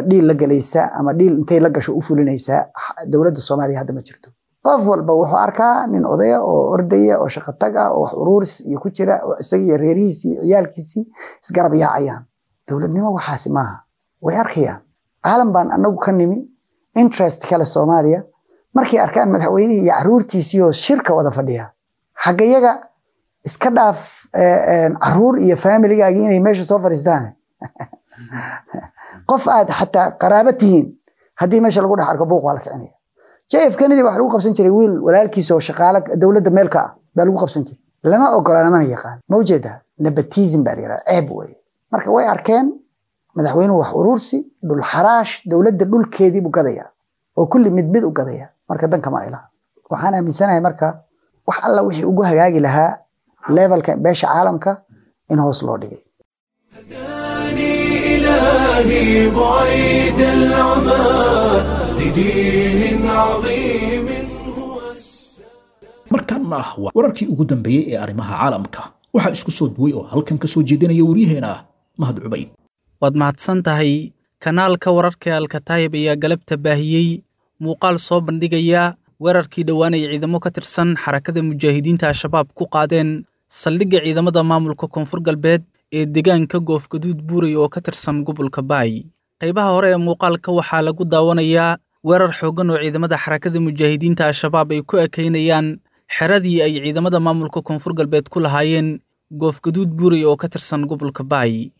deal la galaysa ama deal intay la gasho u fulinaysa dowladda Soomaaliya hadda ma jirto. Qof walba wuxuu arkaa nin odaya oo ordaya oo shaqo tag ah oo wax uruuris iyo ku jira oo isaga iyo reerihiisii iyo ciyaalkiisii isgarab yaacayaan. Dowladnimo waxaasi maaha. Way arkayaan caalam baan anagu ka nimi interest kale Soomaaliya. Markay arkaan madaxweynihii iyo caruurtiisii oo shirka wada fadhiya, xaggayaga iska dhaaf caruur iyo familigaagii inay meesha soo fadhiistaan, qof aad xataa qaraabo tihiin haddii meesha lagu dhex arko, buuq waa la kicinaya. JF Kennedy waxa lagu qabsan jiray wiil walaalkiisa oo shaqaale dowladda meelka ah baa lagu qabsan jiray. Lama ogola, lamana yaqaan. Ma ujeedaa? Nepotism baa la yidhaha, ceeb wey. Marka way arkeen madaxweynuhu wax uruursi, dhul xaraash, dowladda dhulkeedii buu gadayaa oo kulli mid mid u gadaya. Marka danka ma ilaha. Waxaan aaminsanahay marka wax alla wixii ugu hagaagi lahaa levelka beesha caalamka in hoos loo dhigay. هداني إلهي بعيد العمى لدين عظيم هو. Markaana waa wararkii ugu dambeeyey ee arrimaha caalamka. Waxaa isku soo duway oo halkan ka soo jeedinaya waryaheena Mahad Cubayd. Waad mahadsan tahay. Kanaalka wararka ee Alkataayib ayaa galabta baahiyey muuqaal soo bandhigaya weerarkii dhowaan ay ciidamo ka tirsan Xarakada Mujaahidiinta Al-Shabaab ku qaadeen saldhigga ciidamada maamulka Koonfur Galbeed ee deegaanka Goofgaduud Buuray oo ka tirsan gobolka Baay. Qaybaha hore ee muuqaalka waxaa lagu daawanayaa weerar xooggan oo ciidamada Xarakada Mujaahidiinta Al-Shabaab ay ku ekeynayaan xeradii ay ciidamada maamulka Koonfur Galbeed ku lahaayeen Goofgaduud Buuray oo ka tirsan gobolka Baay.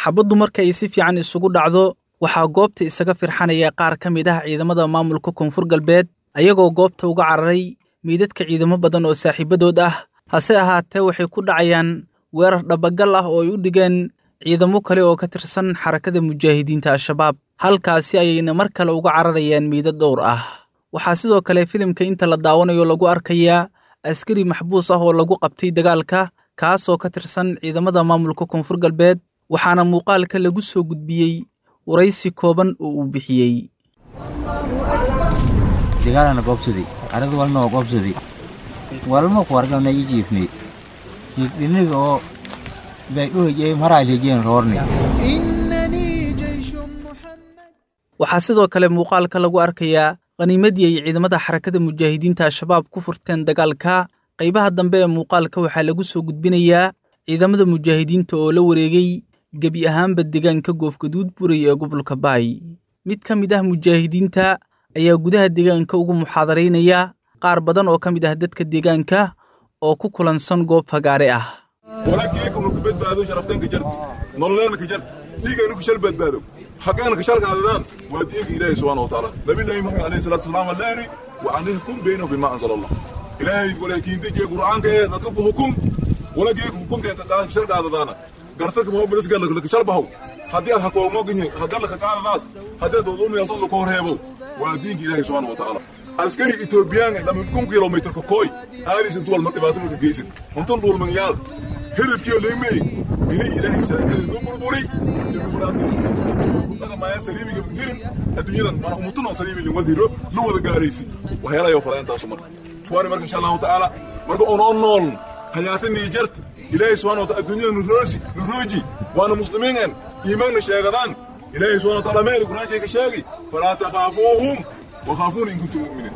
Xabaddu marka ay si fiican isugu dhacdo, waxaa goobta isaga firxanaya qaar ka mid ah ciidamada maamulka Koonfur Galbeed, ayagoo goobta uga cararay meydadka ciidamo badan oo saaxiibadood ah. Hase ahaatee, waxay ku dhacayaan weerar dhabagal ah oo ay u dhigeen ciidamo kale oo ka tirsan Xarakada Mujaahidiinta Al-Shabaab. Halkaasi ayayna mar kale uga cararayaan meydad dhowr ah. Waxaa sidoo kale filimka inta la daawanayo lagu arkayaa askari maxbuus ah oo lagu qabtay dagaalka, kaasoo ka tirsan ciidamada maamulka Koonfur Galbeed, waxaana muuqaalka lagu soo gudbiyey waraysi kooban oo uu bixiyey. Dagaalana goobsaday, arada walna waa goobsaday, walma ku argana i jiifnay dhinaga oo baydhuhajey maraajejeen roornay. Waxaa sidoo kale muuqaalka lagu arkayaa khaniimadii ay ciidamada Xarakada Mujaahidiinta Al-Shabaab ku furteen dagaalka. Qaybaha dambe ee muuqaalka waxaa lagu soo gudbinayaa ciidamada mujaahidiinta oo la wareegay gebi ahaanba deegaanka Goofgaduud Buray ee gobolka Baay. Mid ka mid ah mujaahidiinta ayaa gudaha deegaanka ugu muxaadaraynaya qaar badan oo ka mid ah dadka deegaanka oo ku kulansan goob fagaare ah. Walaakiikum ku badbaado sharaftanka jart nololeena ka jart dhiigayna ku shal badbaado xaqaana ka shal qaadadaan waa diinka Ilaahay subhanahu wa ta'ala. Nabi Muhammad alayhi salatu wasalaam leeri wa anihkum baynahu bima anzala Allah. Ilaahay walaakiin dejiye Qur'aanka ee dadka ku hukum walaakiin hukumka inta qaad shal qaadadaana gartaka ma bilis gal la shal bahow haddii aad hakoomo ginye haddii la ka qaadadaas haddii doodoomiyaas la ko reebo waa diinka Ilaahay subhanahu wa ta'ala. Askari Ethiopian lama kun kilometer ka koy aalis intuu walma dhibaato ma geysan intuu dhulman yaal hiribkiyo leemay inay Ilaahay sharciga loo burburi dimuqraadiyadda ma saliimiga hirin adduunyadan mana umutuna saliimi loo wadiro loo wada gaaraysi waxyaalaha oo farayntaas marka tuwaani marka insha Allah ta'ala marka oo nool hayaatan Niger Ilaahay subhanahu wa ta'ala adduunyada nuroosi nurooji waana muslimiin iimaan sheegadaan Ilaahay subhanahu wa ta'ala meel Qur'aan sheegay sheegay fala takhafuhum وخافون إن كنتم مؤمنين.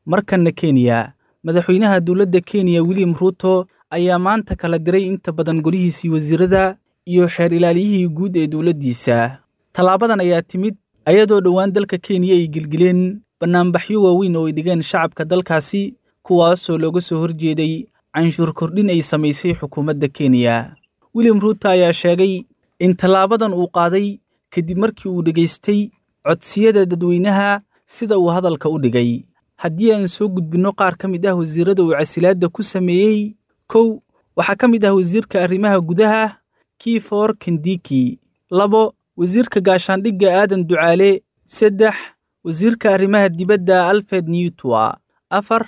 Markanna Kenya, madaxweynaha dowladda Kenya William Ruto ayaa maanta kala diray inta badan golihiisii wasiirada iyo xeer ilaaliyihii guud ee dowladdiisa. Tallaabadan ayaa timid ayadoo dhowaan dalka Kenya ay gelgeleen bannaanbaxyo waaweyn oo ay dhigeen shacabka dalkaasi, kuwaasoo looga soo horjeeday canshuur kordhin ay samaysay xukuumadda Kenya. William Ruto ayaa sheegay in tallaabadan uu qaaday kadib markii uu dhegaystay codsiyada dadweynaha sida uu hadalka u dhigay. Haddii aan soo gudbinno qaar ka mid ah wasiirada uu casilaadda ku sameeyey, 1, waxaa ka mid ah wasiirka arrimaha gudaha Kifor Kindiki, 2, wasiirka gaashaandhigga Aadan Ducaale, 3, wasiirka arrimaha dibadda Alfred Mutua, 4,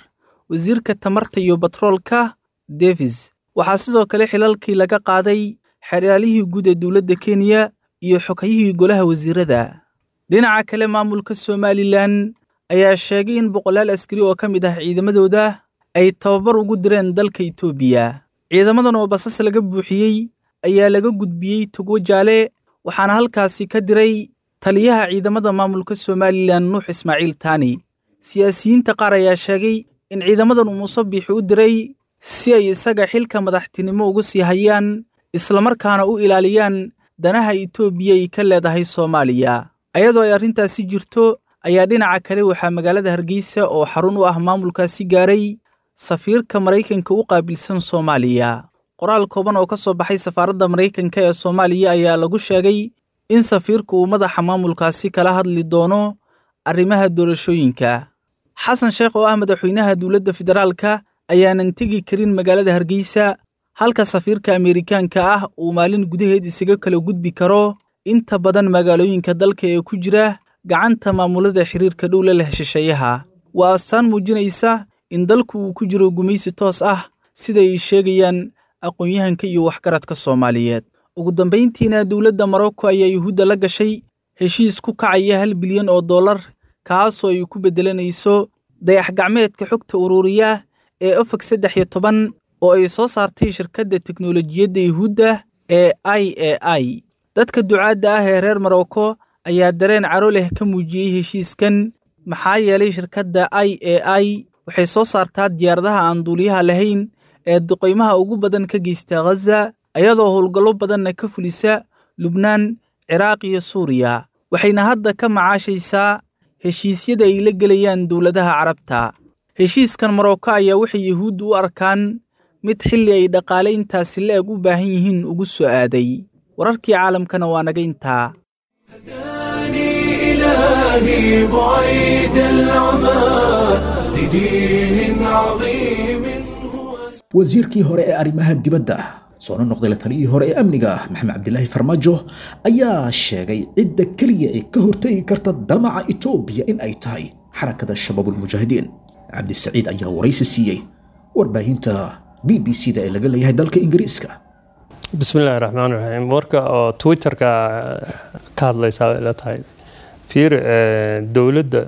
wasiirka tamarta iyo batroolka Davis. Waxaa sidoo kale xilalkii laga qaaday xeraalihii guud ee dowladda Kenya iyo xogayihii golaha wasiirada. Dhinaca kale, maamulka Somaliland ayaa sheegay in boqolaal askari oo ka mid ah ciidamadooda ay tababar ugu direen dalka Itoobiya. Ciidamadan oo basas laga buuxiyey ayaa laga gudbiyey Togo Jaale, waxaana halkaasi ka diray taliyaha ciidamada maamulka Somaliland Nuux Ismaaciil Taani. Siyaasiyiinta qaar ayaa sheegay in ciidamadan uu Muuse Biixi u diray si ay isaga xilka madaxtinimo ugu sii hayaan islamarkaana u ilaaliyaan danaha Itoobiya ay ka leedahay Soomaaliya. Ayadoo ay arrintaasi jirto ayaa dhinaca kale waxaa magaalada Hargeysa oo xarun u ah maamulkaasi gaaray safiirka Maraykanka u qaabilsan Soomaaliya. Qoraal kooban oo ka soo baxay safaaradda Maraykanka ee Soomaaliya ayaa lagu sheegay in safiirku uu madaxa maamulkaasi kala hadli doono arrimaha doorashooyinka. Xasan Sheekh oo ah madaxweynaha dowladda federaalka ayaanan tegi karin magaalada Hargeysa, halka safiirka Ameerikaanka ah uu maalin gudaheed isaga kala gudbi karo inta badan magaalooyinka dalka ee ku jira gacanta maamulada xiriirka dhow la leh shisheeyaha. Waa astaan muujinaysa in dalku uu ku jiro gumaysi toos ah, sida ay sheegayaan aqoon-yahanka iyo waxgaradka Soomaaliyeed. Ugu dambeyntiina, dowladda Morocco ayaa Yuhuudda la gashay heshiis ku kacaya $1 bilyan kaasoo ay ku beddelanayso dayax-gacmeedka xogta ururiya ee Ofek 13 oo ay soo saartay shirkadda teknoolojiyadda Yuhuudda ee IAI. Dadka ducaadda ah ee reer Morocco ayaa dareen caro leh ka muujiyey heshiiskan, maxaa yeelay shirkadda IAI waxay soo saartaa diyaaradaha aan duuliyaha lahayn ee duqeymaha ugu badan ka geysta Gaza, ayadoo howlgallo badanna ka fulisa Lubnaan, Ciraaq iyo Suuriya. Waxayna hadda ka macaashaysaa heshiisyada ay la gelayaan dowladaha Carabta. Heshiiskan Morocco ayaa waxay Yuhuuddu u arkaan mid xilli ay dhaqaale intaasi la-eg u baahan yihiin ugu soo aaday. Wararkii caalamkana waa naga intaa. إلهي بعيد العمى لدين عظيم. Wasiirkii hore ee arrimaha dibadda soona noqday la taliyihii hore ee amniga Maxamed Cabdilaahi Farmaajo ayaa sheegay cidda keliya ee ka hortegi karta damaca Itoobiya in ay tahay xarakada Shabaabulmujaahidiin. Cabdisaciid ayaa waraysi siiyey warbaahinta BBC da ee laga leeyahay dalka Ingiriiska. Bismillahi raxmaan raxiim. Warka oo Twitterka ka hadlaysaa ila tahay fiir dowladda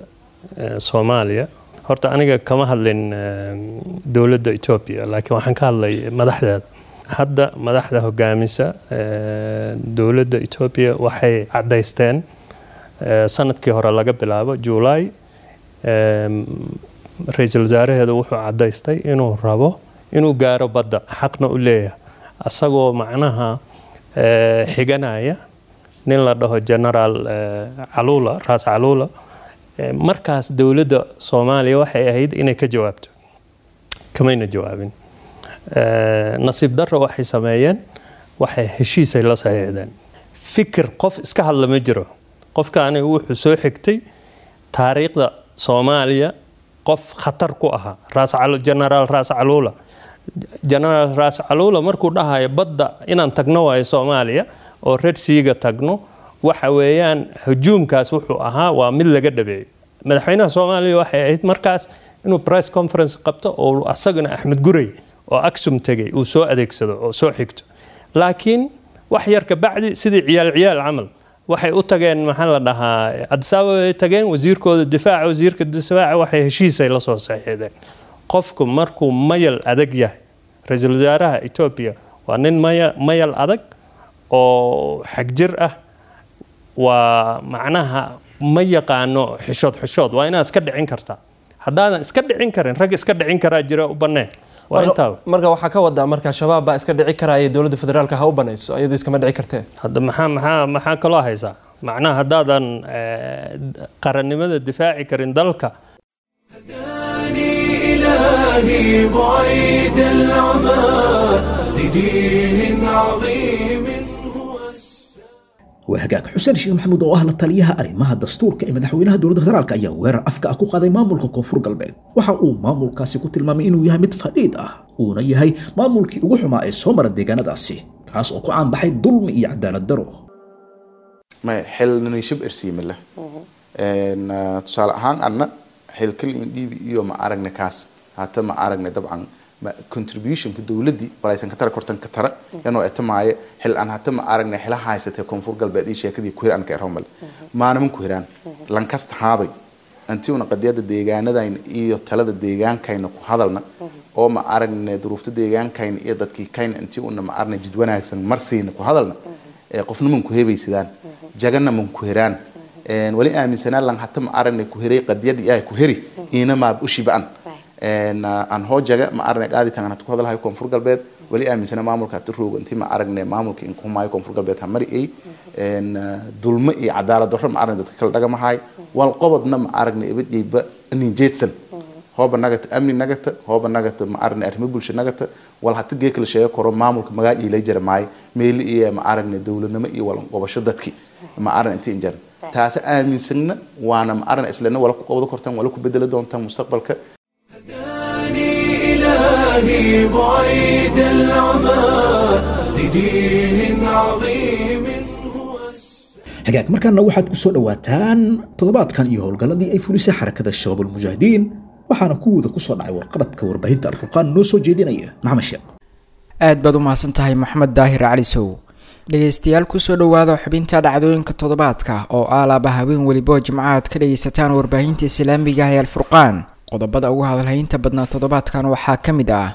Soomaaliya. Horta aniga kama hadlin dowladda Etoobiya, laakiin waxaan ka hadlay madaxdeeda. Hadda madaxda hogaamisa dowladda Etoobiya waxay caddaysteen sanadkii hore laga bilaabo July, ra-iisul wasaaraheeda wuxuu caddaystay inuu rabo inuu gaaro badda, xaqna u leeyahay, asagoo macnaha xiganaya Nin la dhaho Generaal Caluula, Raas Caluula. Markaas dowladda Soomaaliya waxay ahayd inay ka jawaabto, kamayna jawaabin. Nasiib darro, waxay sameeyeen, waxay heshiisay la saxiixdeen. Fikir qof iska hadla ma jiro. Qofkaani wuxuu soo xigtay taariikhda Soomaaliya, qof khatar ku ahaa Raas, Generaal Raas Caluula. Generaal Raas Caluula markuu dhahayo badda inaan tagno waayo Soomaaliya oo Red Sea-ga tagno, waxa weeyaan hujuumkaas wuxuu ahaa waa mid laga dhabeeyo. Madaxweynaha Soomaaliya waxay ahayd markaas inuu press conference qabto oo asagana Axmed Gurey oo Aksum tegay uu soo adeegsado oo soo xigto. Laakiin wax yar ka bacdi, sidii ciyaal ciyaal camal, waxay u tageen, maxaa la dhahaa, Addis Ababa ay tageen. Wasiirkooda difaaca, wasiirka difaaca, waxay heshiisay la soo saxiixdeen. Qofku markuu mayal adag yahay, ra-iisul wasaaraha Etoobiya waa nin mayal adag oo xagjir ah, waa macnaha ma yaqaano xishood. Xishood waa inaad iska dhicin kartaa. Haddaadan iska dhicin karin, rag iska dhicin karaa jira, u bannee. Waa intaa. Marka waxaa ka wadaa, marka Shabaab baa iska dhici karaya, dowladda federaalka ha u banayso, iyadoo iskama dhici kartee? Hadda maxaa kaloo haysaa? Macnaha haddaadan qarannimada difaaci karin dalka. إلهي بعيد العمى لدين عظيم. Waa hagaag. Xuseen Sheekh Maxamuud oo ah la taliyaha arrimaha dastuurka ee madaxweynaha dowladda federaalka ayaa weerar afka ah ku qaaday maamulka Koonfur Galbeed. Waxa uu maamulkaasi ku tilmaamay inuu yahay mid fadhiid ah, uuna yahay maamulkii ugu xumaa ee soo mara deegaanadaasi, kaas oo ku caanbaxay dulmi iyo cadaalad daro. Maya, xilnani shib ersiima leh. Tusaale ahaan, anna xilkal in dhiibi iyo ma aragne kaas hata ma aragne. Dabcan contributionka dowladdii walaysan ka tara kortan ka tara yanoo etamaaye xil aan hata ma aragne xila haysatay Koonfur Galbeed iyo sheekadii ku hiraan ka erhomal maanaman ku hiraan lankasta haaday anti una qadiyada deegaanadayna iyo talada deegaankayna ku hadalna oo ma aragne duruufta deegaankayna iyo dadkii kayna intii una ma aragne jid wanaagsan marsiina ku hadalna, qofna man ku hebaysadaan, jagana man ku hiraan. Wali aaminsanaa lan hata ma aragne ku hiray qadiyada ay ku hiri ina ma ushibaan aan hoo jaga ma aragne qaaditaan aan ku hadalhayo Koonfur Galbeed. Wali aaminsana maamulka hata roogo intii ma aragne maamulka in kumaayo Koonfur Galbeed hamari ay dulmo iyo cadaalad darro ma aragne dadka kala dhagamahay wal qobodna ma aragne ibadiyba nin jeedsan hooba nagata amni nagata hooba nagata ma aragne arrimo bulsho nagata wal hata geek la sheego koro maamulka magac ilay jarmaay meel iyo ma aragne dowladnimo iyo walan qobasho dadki ma aragne intii injar taas aaminsanna waana ma aragne islana wala ku qabdo kortaan wala ku bedeli doontaan mustaqbalka. إلهي بعيد العمى لدين عظيم. Hagaag, markaana waxaad ku soo dhowaataan toddobaadkan iyo howlgalladii ay fulisay Xarakada Shabaab Almujaahidiin, waxaana kuwooda ku soo dhacay warqabadka warbaahinta Alfurqaan noo soo jeedinaya Maxamed Sheekh. Aad baad u mahadsan tahay, Maxamed Daahir Cali Sow. Dhegaystayaal, kusoo dhowaada xubinta dhacdooyinka toddobaadka oo aalaaba haween welibo jimcaad ka dhagaysataan warbaahinta islaamiga ah ee Alfurqaan. Qodobada ugu hadalhaynta badnaa toddobaadkan waxaa ka mid ah: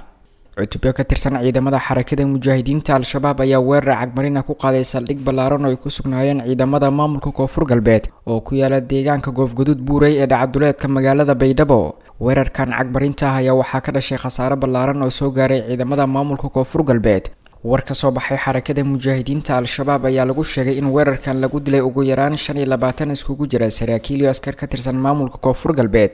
cutubyo ka tirsan ciidamada Xarakada Mujaahidiinta Al-Shabaab ayaa weerar cagmarina ku qaaday saldhig ballaaran oo ay ku sugnaayeen ciidamada maamulka Koonfur Galbeed oo ku yaala deegaanka Goofguduud Buurey ee dhacaduleedka magaalada Baydhabo. Weerarkan cagmarinta ah ayaa waxaa ka dhashay khasaare ballaaran oo soo gaaray ciidamada maamulka Koonfur Galbeed. War ka soo baxay Xarakada Mujaahidiinta Al-Shabaab ayaa lagu sheegay in weerarkan lagu dilay ugu yaraan 25 iskugu jira saraakiil iyo askar ka tirsan maamulka Koonfur Galbeed.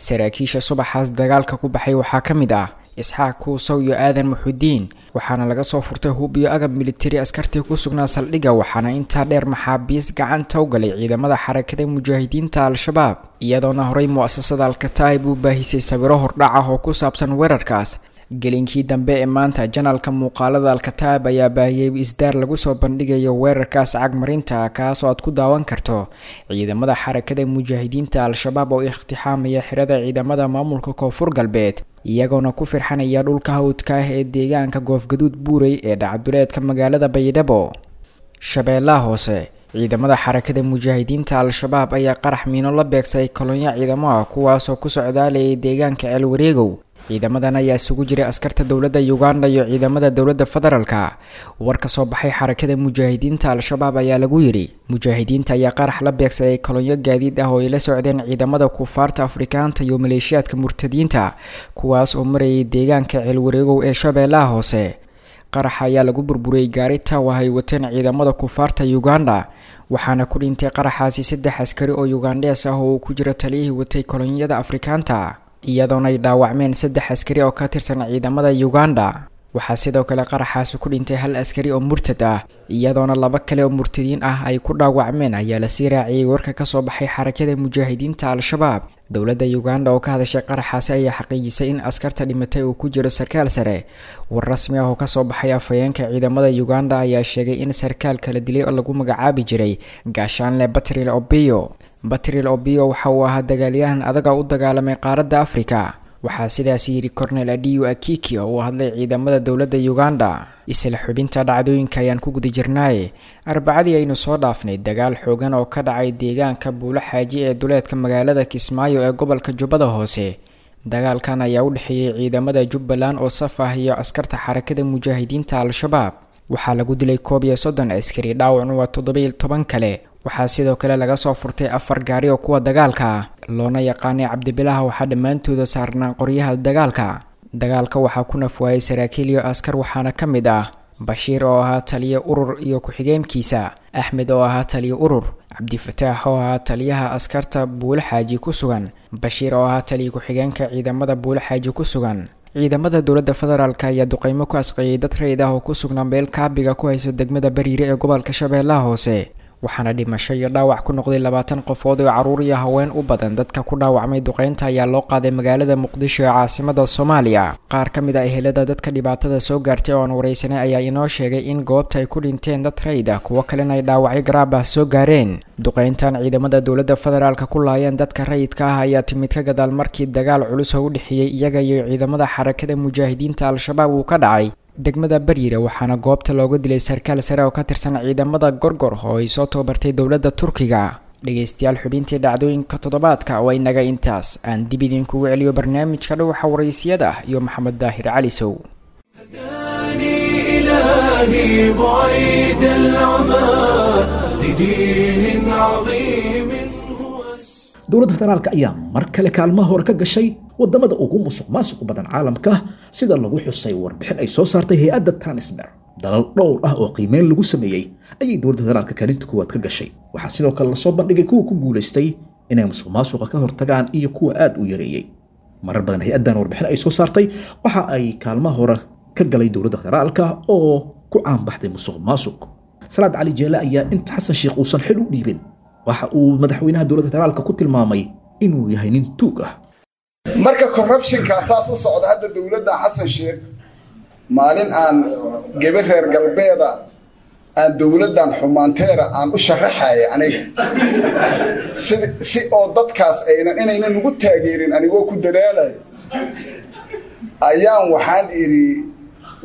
Saraakiisha subaxaas dagaalka ku baxay waxaa ka mid ah Isxaaq Kuusow iyo Aadan Muxudiin, waxaana laga soo furtay hub iyo agab militari askartii ku sugnaa saldhigga, waxaana intaa dheer maxaabiis gacanta u galay ciidamada Xarakada Mujaahidiinta Al-Shabaab, iyadoona horey mu'asasada Alkataib u baahisay sawiro hordhac ah oo ku saabsan weerarkaas. Gelinkii dambe ee maanta, janalka muuqaalada Alkataib ayaa baahiyey isdaar lagu soo bandhigayo weerarkaas cagmarinta, kaasoo aad ku daawan karto ciidamada Xarakada Mujaahidiinta Al-Shabaab oo ikhtixaamaya xirada ciidamada maamulka Koonfur Galbeed, iyagoona ku firxanaya dhulka hawdka ah ee deegaanka Goofgaduud Buurey ee dhacduleedka magaalada Baydhabo. Shabeellaha Hoose, ciidamada Xarakada Mujaahidiinta Al-Shabaab ayaa qarax miino la beegsaday kolonyo ciidamo ah, kuwaasoo ku socdaalayay deegaanka Ceelwareegow. Ciidamadan ayaa isugu jiray askarta dowladda Uganda iyo ciidamada dowladda federaalka. War ka soo baxay Xarakada Mujaahidiinta Al-Shabaab ayaa lagu yidhi: mujaahidiinta ayaa qarax la beegsaday kolonyo gaadiid ah oo ay la socdeen ciidamada kufaarta Afrikaanta iyo maleeshiyaadka murtadiinta, kuwaas oo marayay deegaanka Ceelwareegow ee Shabeellaha Hoose. Qaraxa ayaa lagu burburiyey gaari taaw ah ay wateen ciidamada kufaarta Uganda, Waxaana ku dhintay qaraxaasi 3 askari oo Ugandhees ah oo uu ku jiro taliyihii watay kolonyada Afrikaanta, iyadoona ay dhaawacmeen 3 askari oo ka tirsan ciidamada Uganda. Waxaa sidoo kale qaraxaasi ku dhintay 1 askari oo murtad ah, iyadoona 2 kale oo murtadiin ah ay ku dhaawacmeen, ayaa lasii raaciyay warka kasoo baxay xarakada mujaahidiinta Al-Shabaab. Dowladda Uganda oo ka hadashay qaraxaasi ayaa xaqiijisay in askarta dhimatay uu ku jiro sarkaal sare. War rasmi ah oo kasoo baxay afhayeenka ciidamada Uganda ayaa sheegay in sarkaal kala dilay oo lagu magacaabi jiray Gaashaanle Batril Obiyo. Batril Obiyo waxa uu ahaa dagaalyahan adag oo u dagaalamay qaaradda Afrika. Waxaa sidaas yiri Cornel Adiyo Akiki oo u hadlay ciidamada dowladda Uganda. Isla xubinta dhacdooyinka ayaan ku guda jirnaaye. Arbacadii aynu soo dhaafnay dagaal xoogan oo ka dhacay deegaanka Buulo Xaaji ee duleedka magaalada Kismaayo ee gobolka Jubbada Hoose. Dagaalkan ayaa u dhexeeyay ciidamada Jubbaland oo saf ah iyo askarta xarakada mujaahidiinta Al-Shabaab. Waxaa lagu dilay 31 askari, dhaawacna waa 17 kale. Waxaa sidoo kale laga soo furtay 4 gaari oo kuwa dagaalka ah, loona yaqaanay Cabdibilaha. Waxaa dhammaantooda saarnaa qoryaha dagaalka. Dagaalka waxaa ku nafwaayay saraakiil iyo askar, waxaana ka mid ah Bashiir oo ahaa taliye urur iyo ku-xigeenkiisa, Axmed oo ahaa taliye urur, Cabdifataax oo ahaa taliyaha askarta Buulo Xaaji ku sugan, Bashiir oo ahaa taliye ku-xigeenka ciidamada Buulo Xaaji ku sugan. Ciidamada dowladda federaalka ayaa duqeymo ku asqeeyay dad rayid ah oo ku sugnaa meel kaabiga ku hayso degmada Bariire ee gobolka Shabeellaha Hoose. Waxaana dhimasho iyo dhaawac ku noqday 20 qofood oo caruur iyo haween u badan. Dadka ku dhaawacmay duqeynta ayaa loo qaaday magaalada Muqdisho ee caasimada Soomaaliya. Qaar ka mid ah ehelada dadka dhibaatada soo gaartay oo aan wareysanay ayaa inoo sheegay in goobta ay ku dhinteen dad rayid ah, kuwo kalena ay dhaawacyo garaab ah soo gaareen. Duqeyntan ciidamada dowladda federaalka ku laayeen dadka rayidka ah ayaa timid ka gadaal markii dagaal culus oo u dhexeeyay iyaga iyo ciidamada xarakada mujaahidiinta Al-Shabaab uu ka dhacay degmada Bariire. Waxaana goobta looga dilay sarkaal sare oo ka tirsan ciidamada Gorgor oo ay soo tababartay dowladda Turkiga. Dhegeystayaal, xubintii dhacdooyinka toddobaadka waa inaga intaas. Aan dib idinkugu celiyo barnaamijka Dhuuxa Wareysiyada iyo Maxamed Daahir Cali Sow. إلهي بعيد العمى لدين عظيم. Dowladda federaalka ayaa mar kale kaalmaha hore ka gashay wadamada ugu musuq maasuq badan caalamka, sida lagu xusay warbixin ay soo saartay hay-adda Transfer. Dalal dhowr ah oo qiimeyn lagu sameeyey ayay dowladda federaalka kaalinta koowaad ka gashay. Waxaa sidoo kale lasoo bandhigay kuwa ku guulaystay inay musuq maasuqa ka hortagaan iyo kuwa aad u yareeyey. Marar badan hay-addan warbixin ay soo saartay waxa ay kaalmaha hore ka galay dowladda federaalka oo ku caanbaxday musuq maasuq. Salaad Cali Jeele ayaa inta Xasan Sheikh uusan xil u dhiibin waxa uu madaxweynaha dowladda federaalka ku tilmaamay inuu yahay nin tuug ah. Marka corruptionka saas u socda hadda dowladda Xasan Sheikh, maalin aan gabar reer galbeeda aan dowladdan xumaanteeda aan u sharaxaya aniga si oo dadkaas aynan inaynan ugu taageerin anigoo ku dadaalayo, ayaan waxaan idhi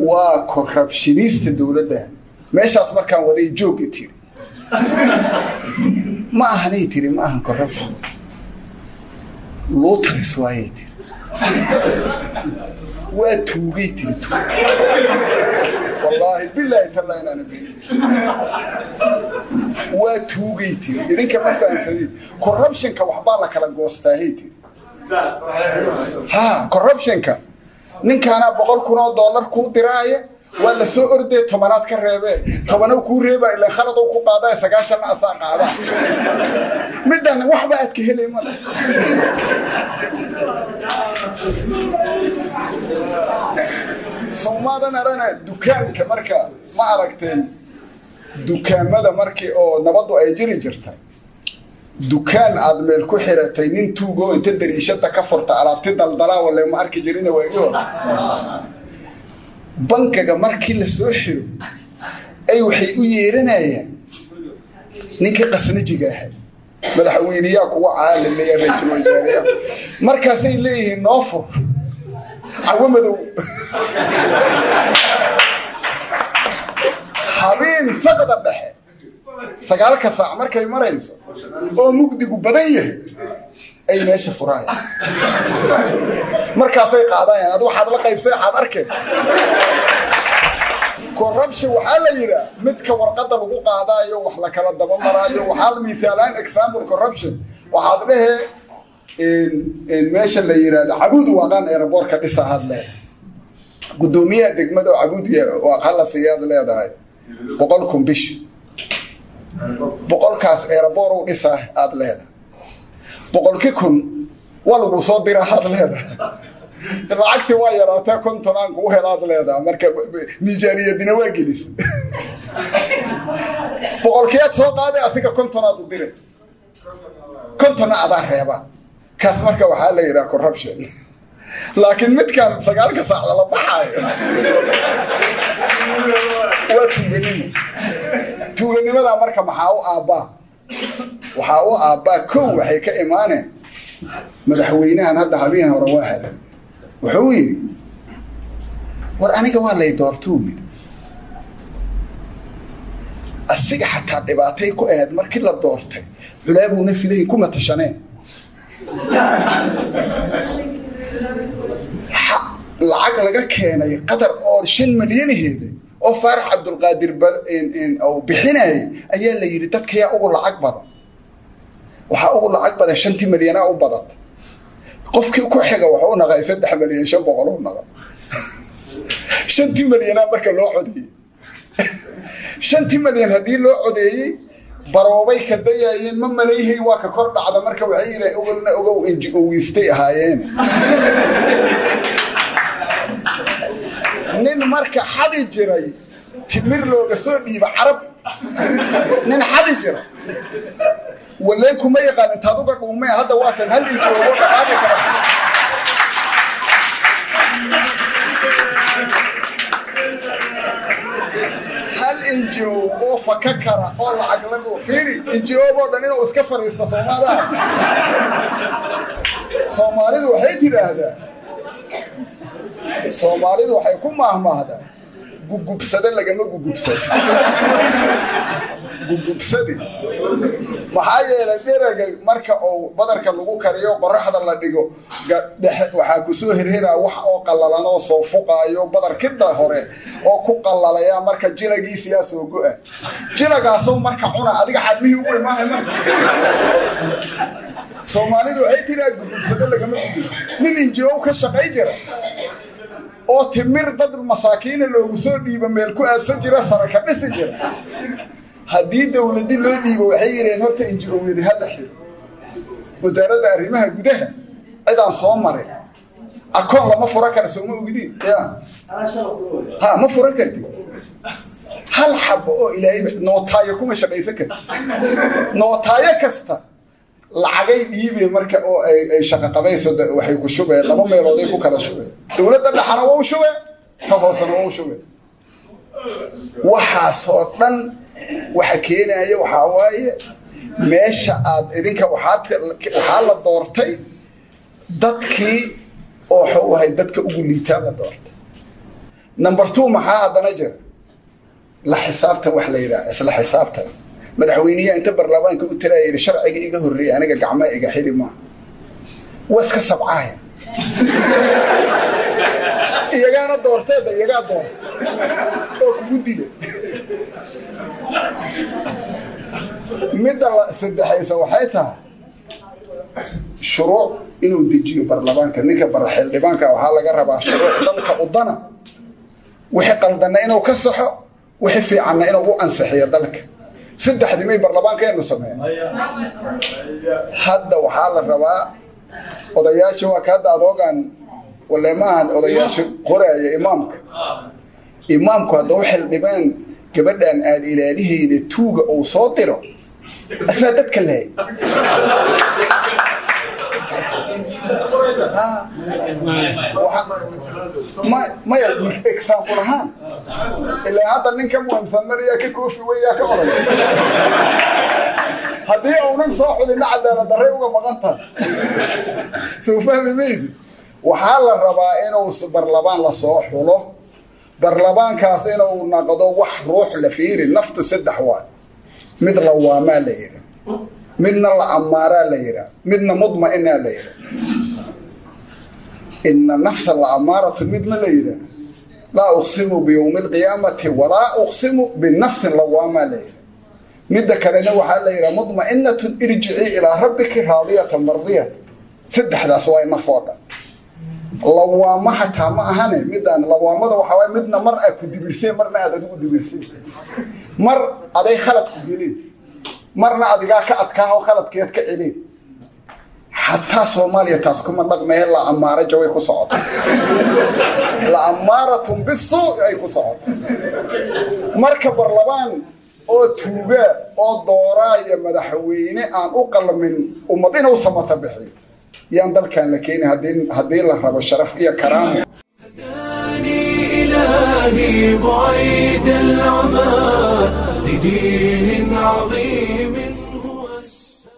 waa corruptionista dowladda. Meeshaas markaan waday joog i tiri ma ahanay tiri, ma ahan corruption, luutris waayay tiri, waa tuugay tiri, tuug. Wallaahi bilaahi tallaa inaana beenin, waa tuugay tiri. Idinka ma fahamsadin corruptionka, waxbaa la kala goostaahay tiri. Ha, corruptionka ninkaanaa $100,000 kuu diraaya, waa la soo ordee, 10aad ka reebee, 10 kuu reebaa, ilaan khaladow ku qaadaa, 90na asaa qaadaa. Midaan waxba aad ka helay male. Soomaadan arana dukaanka marka ma aragteen dukaamada markii oo nabaddu ay jiri jirtay, dukaan aad meel ku xiratay nin tuugoo inta dariishada ka furta alaabti daldalaa wale ma arki jirina waagii hore. Bankaga markii la soo xiro ay waxay u yeeranayaan ninkii qasnajiga ahay, madaxweyneyaa kuwa caalamaya, ra'iisul wasaarayaa, markaasay leeyihiin noo fur cawo madow habeen saqda dhexe 9 saac markay marayso oo mugdigu badan yahay ay meesha furaayaan, markaasay qaadayaan. Ad waxaad la qaybsay waxaad arkeen corruption waxaa la yidhaa midka warqadda lagu qaadaayo wax la kala daba maraayo. Waxaa miisaalaan example corruption waxaad dhehe meesha la yidhaahdo Cabuud Waaqaan aeroboortka dhisa aad leedahay, guddoomiyaha degmada oo Cabuud Waaqaan la siiyaad leedahay 100,000 bish. Boqolkaas airport u dhisaa aad leedahay. 100,000 waa lagu soo diraa aad leedahay. Lacagtii waa yaraatee 50 aan kugu helaad leedahay. Marka miisaaniyadina waa gelis. 100kiyaad soo qaaday, asiga 50 aad u diray, 50-na adaa reebaa. Kaas marka waxaa la yidhaha corruption. Laakiin midkan 9-ka saac lala baxaayo waa tuuganimo. Tuuganimadaa marka maxaa u aabbaa? Waxaa u aabbaa, kow, waxay ka imaaneen madaxweynahan hadda. Habeen hore waa hadan, wuxuu yidhi: "War aniga waa lay doortuu," yidhi. Asiga xataa dhibaatay ku ahayd markii la doortay, culaabuuna filayin kuma tashaneen. Lacag laga keenay Qatar oo 5 milyanaheeda oo Faarax Cabdulqaadir uu bixinayay ayaa la yidhi dadkayaa ugu lacag badan. Waxaa ugu lacag badan 5-tii milyanaa u badata. Qofkii ku xiga wuxuu naqay 3,500,000 u naqay. 5-tii milyanaa marka loo codeeyey, 5-tii milyan haddii loo codeeyey, baroobay ka dayayeen ma malayhay, waa ka kor dhacda. Marka waxay yidhahen ogolna ogow NGO-istay ahaayeen. Nin marka xadi jiray timir looga soo dhiiba Carab, nin xadi jira walee kuma yaqaan intaad uga dhuumee. Hadda waatan hal NGO dhaqaaqi kara. Hal NGO oo faka kara oo lacag lagu fiiri NGO oo dhan inuu iska fariisto. Soomaaliha, Soomaalidu waxay tidhaahdaa, Soomaalidu waxay ku maahmaahdaa: "Gugubsade lagama gugubsado." Gugubsadi maxaa yeelay, dheraga marka uu badarka lagu kariyo, qoraxda la dhigo, dhexe waxaa kusoo herheraa wax oo qallalan oo soo fuqaayo badarkida hore oo ku qallalaya. Marka jilagiisiyaa soo go-a, jilagaasoo marka cuna adiga xadmihii ugu imaahay. Marka Soomaalidu waxay tiraa: "Gugubsado lagama gugubsado." Nin NGO ka shaqay jira oo timir dad masaakiina loogu soo dhiibo meel ku aadsan jira, sara ka dhisi jira, haddii dowladi loo dhiibo, waxay yidhaheen horta NGO-yadi ha la xiro. Wasaaradda arrimaha gudaha cidaan soo marin akoon lama fura kara. Sooma ogdiin? Ya ha ma furan kartid hal xabo oo Ilaahay nootaayo kuma shaqaysan kartid. Nootaayo kasta lacagay dhiibeen marka oo ay shaqo qabayso, waxay ku shubeen laba meelood ay ku kala shubeen. Dowladda dhexana waa u shubeen, ta hoosena waa u shubeen. Waxaasoo dhan waxa keenaya waxaa waaye meesha aad idinka waxaa la doortay dadkii oo waxuu ahay dadka ugu liitaa la doortay. Number two, maxaa haddana jira? La xisaabtan wax la yidhaha, isla xisaabtan. Madaxweyneyaha inta baarlamaanka u tiraya yidhi: "Sharciga iga horreeyay aniga gacmaa iga xili maaha." Waa iska sabcaaya, iyagaana doorteeda, iyagaa doorta oo kugu dila. Midda la saddexaysa waxay tahay shuruuc inuu dejiyo baarlamaanka. Ninka xildhibaanka waxaa laga rabaa shuruuc dalka udana, wixii qaldanna inuu ka saxo, wixii fiicanna inuu u ansixiyo dalka. Saddexdii may baarlamaankeenu sameeya? Hadda waxaa la rabaa odayaasha, waa ka hadda adoogan wale maahan, odayaasha qoraaya imaamka. Imaamku hadda u xildhibaan gabadhan aad ilaalihayda tuuga uu soo diro, asaa dadka lahay. Maya, example ahaan, ilaa hadda ninka muhiimsan mariyaa ka koofi weyaa ka oray. Haddii uunan soo xulina, cadaalad darray uga maqan tahay. Soo fahmi maydi? Waxaa la rabaa inuu barlabaan lasoo xulo, barlamaankaas inuu naqdo wax ruux la fiiri. Naftu saddex waay: mid lawaamaa la yidhaa, midna la amaaraa la yidhaa, midna mudma'inaa la yidhaa. Ina nafsa la amaaratun mid ma la yidhaa: laa uqsimu biyowmi alqiyaamati walaa uqsimu binafsin lawaamaa la yidhaa. Midda kalena waxaa la yidhaha mudma'inatun, irjicii ilaa rabbiki raadiyatan mardiyat. Saddexdaas waa naf oo dhan. Lawaamo xataa ma ahane, midaan lawaamada waxaa waay midna mar aad ku dibirseen, marna aad adigu dibirseen, mar aday khalad ku gelin. Marna adigaa ka adkaa oo khaladkeed ka celin. Xataa Soomaaliya taas kuma dhaqmee, la amaara jaway ku socoto, la amaaratun bisuu ay ku socoto. Marka barlamaan oo tuuga oo dooraaya madaxweyne aan u qalmin ummad inuu samata bixiyo yaan dalkan la keeni haddii la rabo sharaf iyo karaamo. إلهي بعيد العمى لدين عظيم.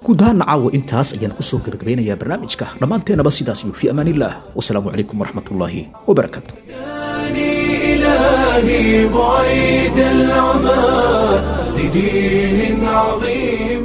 Guud ahaan caawa intaas ayaan kusoo gabagabeynayaa barnaamijka. Dhammaanteenaba sidaas iyo fi amaanillaah, wasalaamu calaykum waraxmatullaahi wabarakaatu. إلهي بعيد العمى لدين عظيم.